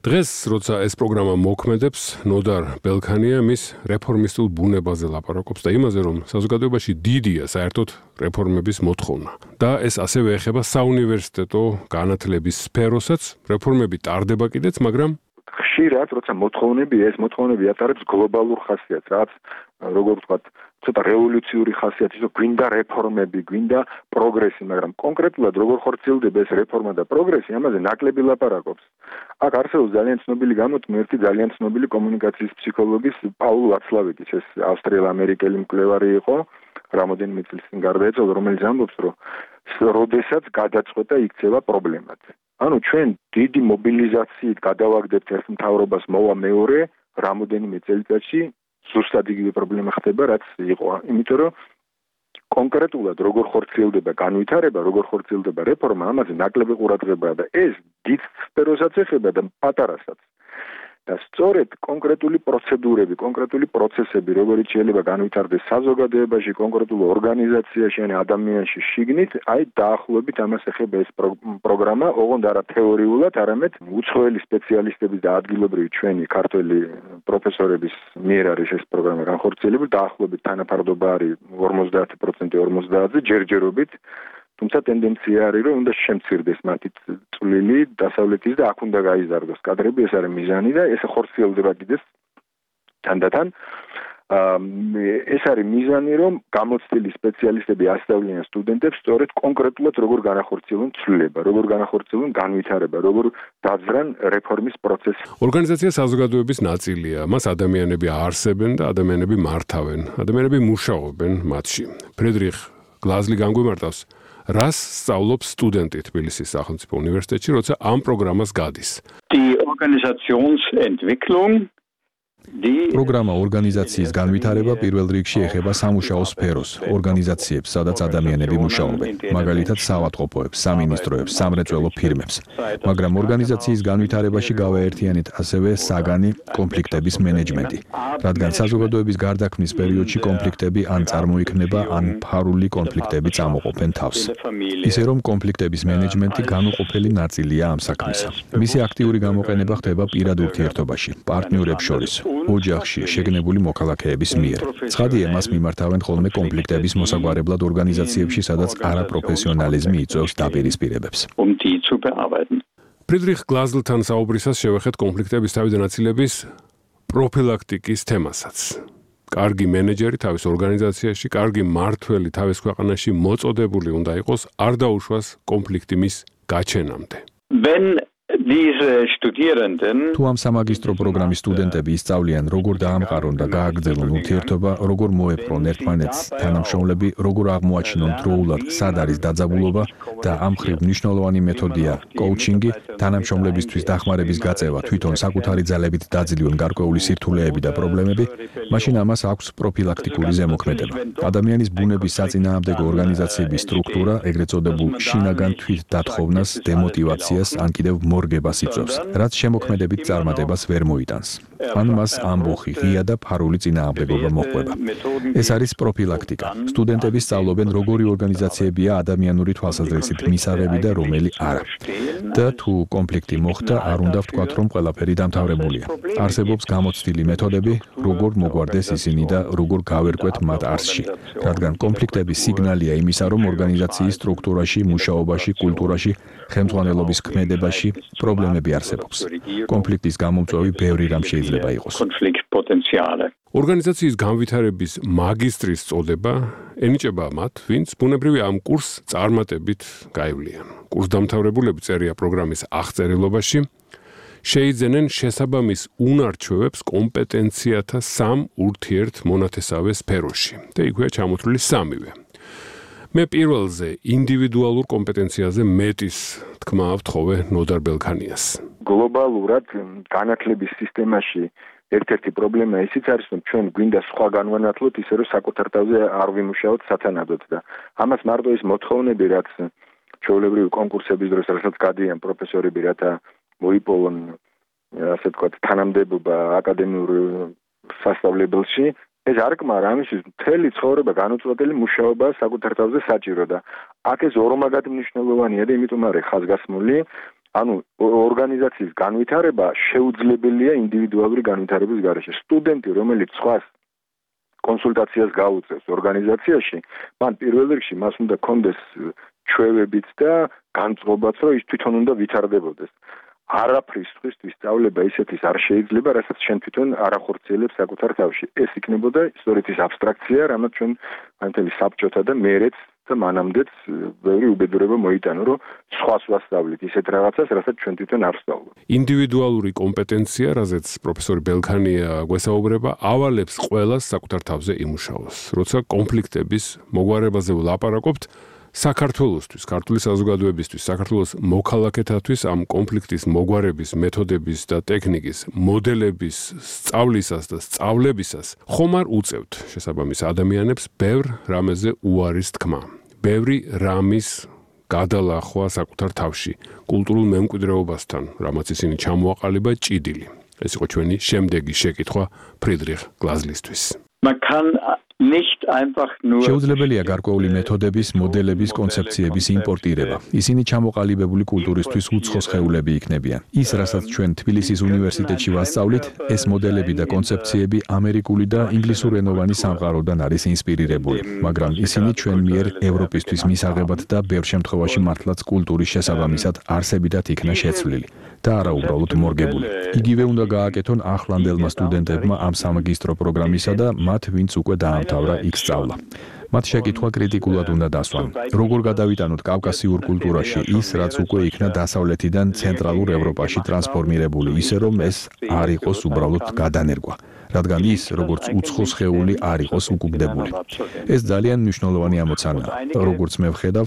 დღეს, როცა ეს პროგრამა მოქმედებს, ნოდარ ბელქანია მის რეფორმისტულ ბუნებაზე ლაპარაკობს და იმაზე, რომ საზოგადოებაში დიდია საერთოდ რეფორმების მოთხოვნა. და ეს ასევე ეხება საუნივერსიტეტო განათლების სფეროსაც, რეფორმები ტარდება კიდეც, მაგრამ ხშირად, როცა ეს მოთხოვნები ატარებს გლობალურ ხასიათს, რაც როგორ ვთქვათ, ცოტა რევოლუციური ხასიათი, რომ გვინდა რეფორმები, გვინდა პროგრესი, მაგრამ კონკრეტულად როგორ ხორციელდება ეს რეფორმა და პროგრესი, ამაზე ნაკლები ლაპარაკობს. აქ არსებობს ძალიან ცნობილი გამოთქმი, ერთი ძალიან ცნობილი კომუნიკაციის ფსიქოლოგის პაულ ვაცლავიძის, ეს ავსტრიელ-ამერიკელი მკვლევარი იყო, რამოდენიმე წლის წინ გარდაეცვალა, რომელიც ამბობს, რომ როდესაც გადაწყვეტა იქცევა პრობლემად. ანუ ჩვენ დიდი მობილიზაციით გადავაგდებთ ერთ მთავრობას, მოვა მეორე, რამოდენიმე წელიწადში ზუსტად იგივე პრობლემა ხდება, რაც იყო. იმიტომ რომ კონკრეტულად როგორ ხორციელდება განვითარება, როგორ ხორციელდება რეფორმა, ამაზე ნაკლები ყურადღებაა და ეს დიდ სფეროსაც ეხება და პატარასაც. და სწორედ კონკრეტული პროცედურები, კონკრეტული პროცესები, როგორიც შეიძლება განვითარდეს საზოგადოებაში, კონკრეტულ ორგანიზაციაში, ან ადამიანში შიგნით, აი დაახლოებით ამას ეხება ეს პროგრამა, ოღონდ არა თეორიულად, არამედ უცხოელი სპეციალისტების და ადგილობრივი ჩვენი ქართველი პროფესორების მიერ არის ეს პროგრამა განხორციელებული, დაახლოებით თანაფარდობა არის 50% 50-ზე ჯერჯერობით. თუმცა ტენდენცია არის, რომ უნდა შემცირდეს მათი წვლილი დასავლეთის და აქ უნდა გაიზარდოს კადრები, ეს არის მიზანი და ეს ხორციელდება კიდეც თანდათან. ეს არის მიზანი, რომ გამოცდილი სპეციალისტები ასწავლიან სტუდენტებს სწორედ კონკრეტულად როგორ განახორციელონ ცვლილება, როგორ განახორციელონ განვითარება, როგორ დაძრან რეფორმის პროცესი. ორგანიზაცია საზოგადოების ნაწილია. მას ადამიანები აარსებენ და ადამიანები მართავენ. ადამიანები მუშაობენ მათში. ფრედრიხ გლაზლი განგვიმარტავს, რას სწავლობს სტუდენტი თბილისის სახელმწიფო უნივერსიტეტში, როცა ამ პროგრამას გადის. Die Organisationsentwicklung პროგრამა ორგანიზაციის განვითარება პირველ რიგში ეხება სამუშაო სფეროს, ორგანიზაციებს, სადაც ადამიანები მუშაობენ, მაგალითად საავადმყოფოებს, სამინისტროებს, სამრეწველო ფირმებს. მაგრამ ორგანიზაციის განვითარებაში გავაერთიანეთ ასევე საგანი კონფლიქტების მენეჯმენტი, რადგან საზოგადოების გარდაქმნის პერიოდში კონფლიქტები ან წარმოიქმნება, ან ფარული კონფლიქტები წამოყოფენ თავს. ისე რომ კონფლიქტების მენეჯმენტი განუყოფელი ნაწილია ამ საქმისა. მისი აქტიური გამოყენება ხდება პირად ურთიერთობაში, პარტნიორებს შორის. ოჯახში შეგნებული მოქალაქეების მიერ. ცხადია, მას მიმართავენ ხოლმე კონფლიქტების მოსაგვარებლად ორგანიზაციებში, სადაც არაპროფესიონალიზმი იწვევს დაპირისპირებებს. ფრიდრიხ გლაზლთან საუბრისას შევეხეთ კონფლიქტების თავიდან აცილების პროფილაქტიკის თემასაც. კარგი მენეჯერი თავის ორგანიზაციაში, კარგი მმართველი თავის ქვეყანაში მოწოდებული უნდა იყოს არ დაუშვას კონფლიქტი მის გაჩენამდე. თუ ამ სამაგისტრო პროგრამის სტუდენტები ისწავლიან, როგორ დაამყარონ და გააგრძელონ ურთიერთობა, როგორ მოეპყრონ ერთმანეთს თანამშრომლები, როგორ აღმოაჩინონ დროულად, სად არის დაძაბულობა და ამ მხრივ მნიშვნელოვანი მეთოდია კოუჩინგი, თანამშრომლებისთვის დახმარების გაწევა, თვითონ საკუთარი ძალებით დაძლიონ გარკვეული სირთულეები და პრობლემები, მაშინ ამას აქვს პროფილაქტიკური ზემოქმედება. ადამიანის ბუნების საწინააღმდეგო ორგანიზაციების სტრუქტურა, ეგრეთ წოდებულ შინაგან თვითდათხოვნას, დემოტივაციას, ან კიდევ მორგებას იწვევს, რაც შემოქმედებით წარმატებას ვერ მოიტანს. ან მას ამბოხი, ღია და ფარული წინააღმდეგობა მოჰყვება. ეს არის პროფილაქტიკა. სტუდენტები სწავლობენ, როგორი ორგანიზაციებია ადამიანური თვალსაზრისით მისაღები და რომელი არა. და თუ კონფლიქტი მოხდა, არ უნდა ვთქვათ, რომ ყველაფერი დამთავრებულია. არსებობს გამოცდილი მეთოდები, როგორ მოგვარდეს ისინი და როგორ გავერკვეთ მათ არსში. რადგან კონფლიქტების სიგნალია იმისა, რომ ორგანიზაციის სტრუქტურაში, მუშაობაში, კულტურაში, ხელმძღვანელობის ქმედებაში პრობლემები არსებობს. კონფლიქტის გამომწვევი ბევრი რამ შეიძლება იყოს. ორგანიზაციის განვითარების მაგისტრის წოდება ენიჭება მათ, ვინც ბუნებრივი ამ კურსს წარმატებით გაივლიან. კურსდამთავრებულები წერია პროგრამის აღწერილობაში, შეიძენენ შესაბამის უნარჩვევებს კომპეტენციათა სამ ურთიერთმონათესავე სფეროში. და იქვეა ჩამოთვლილი სამივე. მე პირველზე ინდივიდუალურ კომპეტენციაზე მეტის თქმა ვთხოვე ნოდარ ბელქანიას. გლობალურად განათლების სისტემაში ერთ-ერთი პრობლემა ისიც არის, რომ ჩვენ გვინდა სხვა განვანათლოთ ისე, რომ საკუთარ თავზე არ ვიმუშაოთ სათანადოდ და ამას მარტო ის მოთხოვნები, რაც ჩვეულებრივი კონკურსების დროს რასაც გადიან პროფესორები, რათა მოიპოვონ, ასე ვთქვათ, თანამდებობა აკადემიურ სასწავლებელში, ეს არ კმარა, ამისთვის მთელი ცხოვრება განუწყვეტელი მუშაობა საკუთარ თავზე საჭირო და აქ ეს ორმაგად მნიშვნელოვანია და იმიტომ არის ხაზგასმული, ანუ ორგანიზაციის განვითარება შეუძლებელია ინდივიდუალური განვითარების გარეშე. სტუდენტი, რომელიც სხვას კონსულტაციას გაუწევს ორგანიზაციაში, მან პირველ რიგში მას უნდა კონდეს ჩვევებიც და განწყობაც, რომ ის თვითონ უნდა ვითარდებოდეს. არაფრის სხვისთვის სწავლება ისეთის არ შეიძლება, რასაც შენ თვითონ არ ახორციელებს საკუთარ თავში. ეს იქნებოდა სწორედ ის აბსტრაქცია, რამაც ჩვენ მთელი საბჭოთა და მერეც და მანამდეც ბევრი უბედურება მოიტანა, რომ სხვას ვასწავლით ისეთ რაღაცას, რასაც ჩვენ თვითონ არ ვსწავლობ. ინდივიდუალური კომპეტენცია, რაზეც პროფესორი ბელქანია გვესაუბრება, ავალებს ყველას საკუთარ თავზე იმუშაოს. როცა კონფლიქტების მოგვარებაზე ვლაპარაკობთ, საქართველოსთვის, ქართული საზოგადოებისთვის, საქართველოს მოქალაქეთათვის ამ კონფლიქტის მოგვარების, მეთოდების და ტექნიკის, მოდელების სწავლისას და სწავლებისას ხომ არ უწევთ შესაბამის ადამიანებს ბევრ რამეზე უარის თქმა, ბევრი რამის გადალახვა საკუთარ თავში, კულტურულ მემკვიდრეობასთან, რამაც ისინი ჩამოაყალიბა ჭიდილი. ეს იყო ჩვენი შემდეგი შეკითხვა ფრიდრიხ გლაზლისთვის. შეუძლებელია გარკვეული მეთოდების, მოდელების, კონცეფციების იმპორტირება. ისინი ჩამოყალიბებული კულტურისთვის უცხო სხეულები იქნებიან. ის, რასაც ჩვენ თბილისის უნივერსიტეტში ვასწავლით, ეს მოდელები და კონცეფციები ამერიკული და ინგლისურენოვანი სამყაროდან არის ინსპირირებული, მაგრამ ისინი ჩვენ მიერ ევროპისთვის მისაღებად და ბევრ შემთხვევაში მართლაც კულტურის შესაბამისად არსებითად იქნა შეცვლილი და არა უბრალოდ მორგებული. იგივე უნდა გააკეთონ ახლანდელმა სტუდენტებმა ამ სამაგისტრო პროგრამისა და მათ, ვინც უკვე დაამთავრა იქ სწავლა. მათ შეკითხვა კრიტიკულად უნდა დასვან. როგორ გადავიტანოთ კავკასიურ კულტურაში ის, რაც უკვე იქნა დასავლეთიდან ცენტრალურ ევროპაში ტრანსფორმირებული, ისე რომ ეს არ იყოს უბრალოდ გადანერგვა, რადგან ის, როგორც უცხო სხეული, არ იყოს უკუგდებული. ეს ძალიან მნიშვნელოვანი ამოცანაა. როგორც მე ვხედავ,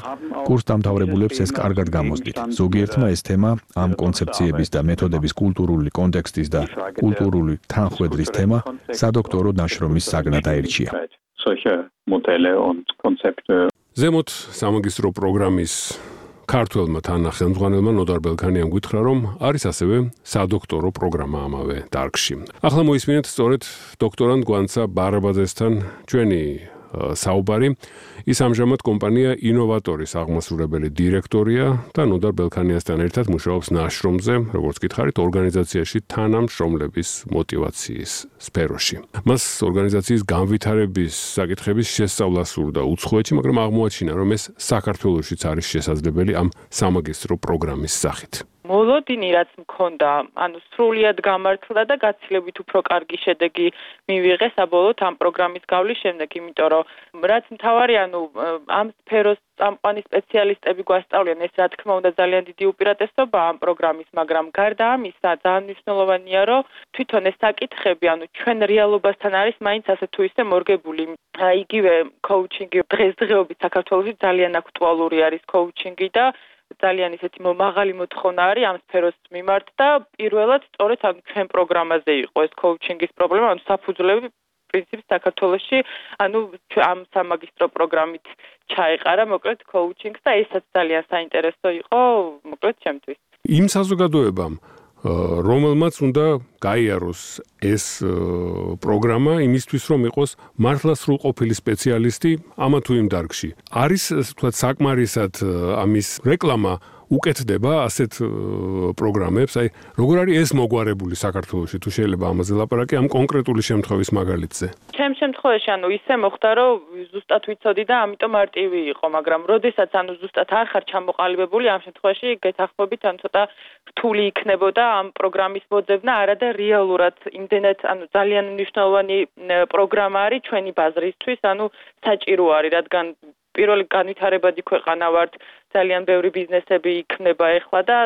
კურსდამთავრებულებს ეს კარგად გამოსდით. ზოგიერთმა ეს თემა, ამ კონცეფციების და მეთოდების კულტურული კონტექსტის და კულტურული თანხვედრის თემა, სადოქტორო ნაშრომის საგნად აირჩია. ზემოთ სამაგისტრო პროგრამის ქართველმა თანახმადნელმა ნოდარ ბელქანიამ გითხრა, რომ არის ასევე სადოქტორო პროგრამა ამავე დარგში. ახლა მოისმინეთ სწორედ დოქტორანტ გვანცა ბარაბაძესთან ჩვენი საუბარი. ის ამჟამად კომპანია ინოვატორის აღმასრულებელი დირექტორია და ნოდარ ბელქანიასთან ერთად მუშაობს ნაშრომზე, როგორც გითხარით, ორგანიზაციაში თანამშრომლების მოტივაციის სფეროში. მას ორგანიზაციის განვითარების საკითხების შესწავლა სურდა უცხოეთში, მაგრამ აღმოაჩინა, რომ ეს საქართველოშიც არის შესაძლებელი ამ სამაგისტრო პროგრამის სახით. მოლოდინი რაც მქონდა, სრულიად გამართლა და გაცილებით უფრო კარგი შედეგი მივიღე საბოლოოდ ამ პროგრამის გავლის შემდეგ, იმიტომ რომ რაც მთავარი, ამ სფეროს წამყვანი სპეციალისტები გვასწავლიან, ეს რა თქმა უნდა ძალიან დიდი უპირატესობა ამ პროგრამის, მაგრამ გარდა ამისა, ძალიან მნიშვნელოვანია, რომ თვითონ ეს საკითხები, ჩვენ რეალობასთან არის მაინც ასე თუ ისე მორგებული. იგივე კოუჩინგი დღესდღეობით საქართველოში ძალიან აქტუალური არის კოუჩინგი და ძალიან ისეთი მაღალი მოთხოვნა არის ამ სფეროს მიმართ და პირველად სწორედ ჩვენ პროგრამაზე იყო ეს კოუჩინგის პრობლემა, საფუძვლები პრინციპი საქართველოში, ამ სამაგისტრო პროგრამით ჩაეყარა მოკლედ კოუჩინგს და ესაც ძალიან საინტერესო იყო მოკლედ ჩემთვის. იმ საზოგადოებამ რომელმაც უნდა გაიაროს ეს პროგრამა იმისთვის, რომ იყოს მართლა სრულყოფილი სპეციალისტი ამა თუ იმ დარგში. არის თქვა საკმარისად ამის რეკლამა უკეთდება ასეთ პროგრამებს, როგორ არის ეს მოგვარებული საქართველოში, თუ შეიძლება ამაზე ლაპარაკი ამ კონკრეტული შემთხვევის მაგალითზე. ჩემ შემთხვევაში ისე მოხდა, რომ ზუსტად ვიცოდი და ამიტომ მარტივი იყო, მაგრამ როდესაც ზუსტად არ ხარ ჩამოყალიბებული, ამ შემთხვევაში გეთახმებით ცოტა რთული იქნებოდა ამ პროგრამის მოძებნა, არადა რეალურად იმდენად ძალიან მნიშვნელოვანი პროგრამა არის ჩვენი ბაზრისთვის, საჭირო არის, რადგან პირველი განვითარებადი ქვეყანა ვართ, ძალიან ბევრი ბიზნესები იქნება ეხლა და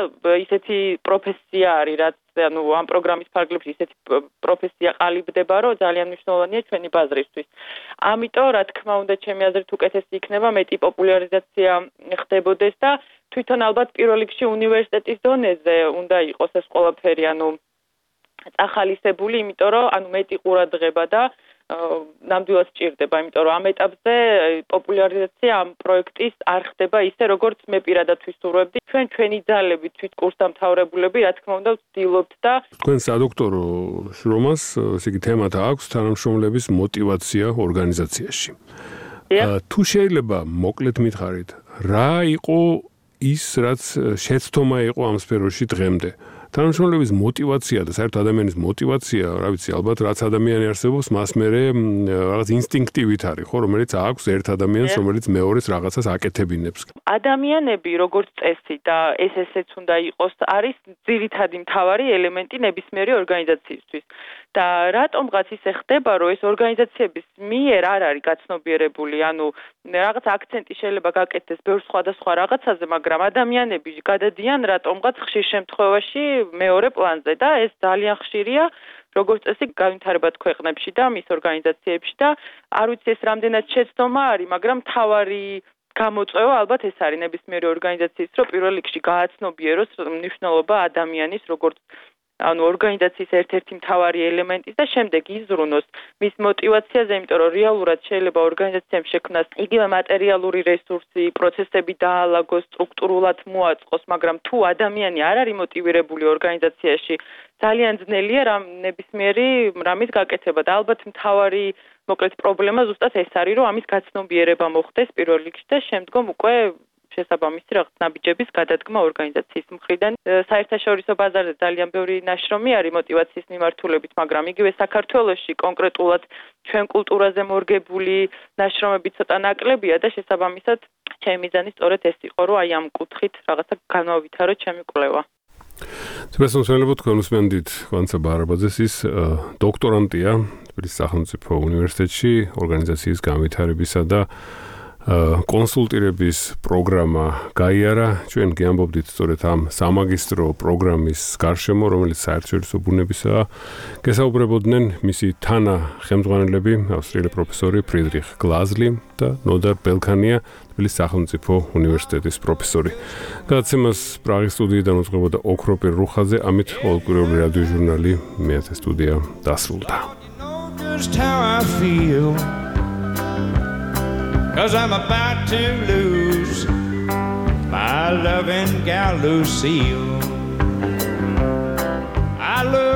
ისეთი პროფესია არის, რაც ამ პროგრამის ფარგლებში ისეთი პროფესია ყალიბდება, რომ ძალიან მნიშვნელოვანია ჩვენი ბაზრისთვის. ამიტომ, რა თქმა უნდა, ჩემი აზრით უკეთესი იქნება მეტი პოპულარიზაცია ხდებოდეს და თვითონ ალბათ პირველ რიგში უნივერსიტეტის დონეზე უნდა იყოს ეს ყველაფერი, წახალისებული, იმიტომ რომ მეტი ყურადღება და ნამდვილად სჭირდება, იმიტომ რომ ამ ეტაპზე პოპულარიზაცია ამ პროექტის არ ხდება ისე, როგორც მე პირადად ვისურვებდი. ჩვენი ძალები, თვით კურსდამთავრებულები, რა თქმა უნდა, ვცდილობთ და თქვენ სადოქტორო შრომას, ესე იგი თემად აქვს თანამშრომლების მოტივაცია ორგანიზაციაში. თუ შეიძლება მოკლედ მითხარით, რა იყო ის, რაც შეცდომა იყო ამ სფეროში დღემდე? თანამშრომლების მოტივაცია და საერთოდ ადამიანის მოტივაცია, რა ვიცი, ალბათ რაც ადამიანი არსებობს, მას მერე რაღაც ინსტინქტივით არის, ხო, რომელიც აქვს ერთ ადამიანს, რომელიც მეორეს რაღაცას აკეთებინებს. ადამიანები, როგორც წესი და ესეც უნდა იყოს, არის ძირითადი მთავარი ელემენტი ნებისმიერი ორგანიზაციისთვის. და რატომღაც ისე ხდება, რომ ეს ორგანიზაციების მიერ არ არის გაცნობიერებული, რაღაც აქცენტი შეიძლება გაკეთდეს ბევრ სხვადასხვა რაღაცაზე, მაგრამ ადამიანები გადადიან რატომღაც ხშირ შემთხვევაში მეორე პლანზე და ეს ძალიან ხშირია, როგორც წესი განვითარებად ქვეყნებში და მის ორგანიზაციებში და არ ვიცი ეს რამდენად შეცდომა არის, მაგრამ თავარი გამოწვევა ალბათ ეს არის ნებისმიერი ორგანიზაციის, რომ პირველ რიგში გააცნობიეროს მნიშვნელობა ადამიანის, როგორც ორგანიზაციის ერთ-ერთი მთავარი ელემენტის და შემდეგ იზრუნოს მის мотиваციაზე, იმიტომ რომ რეალურად შეიძლება ორგანიზაციამ შექმნას იგივე მატერიალური რესურსი, პროცესები დაალაგოს, სტრუქტურულად მოაწყოს, მაგრამ თუ ადამიანი არ არის мотивირებული ორგანიზაციაში, ძალიან ძნელია ნებისმიერი რამის გაკეთება და ალბათ მთავარი მოკლედ პრობლემა ზუსტად ეს არის, რომ ამის გაცნობიერება მოხდეს პირველ რიგში და შემდგომ უკვე შესაბამისი რაღაც ნაბიჯების გადადგმა ორგანიზაციის მხრიდან. საერთაშორისო ბაზარზე ძალიან ბევრი ნაშრომი არის мотиваციის მიმართულებით, მაგრამ იგივე საქართველოში კონკრეტულად ჩვენ კულტურაზე მორგებული ნაშრომები ცოტა ნაკლებია და შესაბამისად ჩემი მიზანი სწორედ ეს იყო, რომ აი ამ კუთხით რაღაცა განვავითარო ჩემი კვლევა. სპეციალურად თქვენ უსმენთ კვანცა ბარაბაძეს, ის დოქტორანტია თბილისის სახელმწიფო უნივერსიტეტში ორგანიზაციის განვითარებისა და კონსულტირების პროგრამა გაიარა. ჩვენ გიამბობდით სწორედ ამ სამაგისტრო პროგრამის გარშემო, რომელიც საერთაშორისო ბუნებისაა. გესაუბრებოდნენ მისი თანა ხელმძღვანელები, ავსტრიელი პროფესორი ფრიდრიხ გლაზლი და ნოდარ ბელქანია, თბილისის სახელმწიფო უნივერსიტეტის პროფესორი. გადაცემას პრაღის სტუდიიდან უძღვებოდა ოქროპირ რუხაძე, ამით ყოველკვირეული რადიო ჟურნალი მეათე სტუდია დასრულდა. Cause I'm about to lose my loving gal Lucille. I love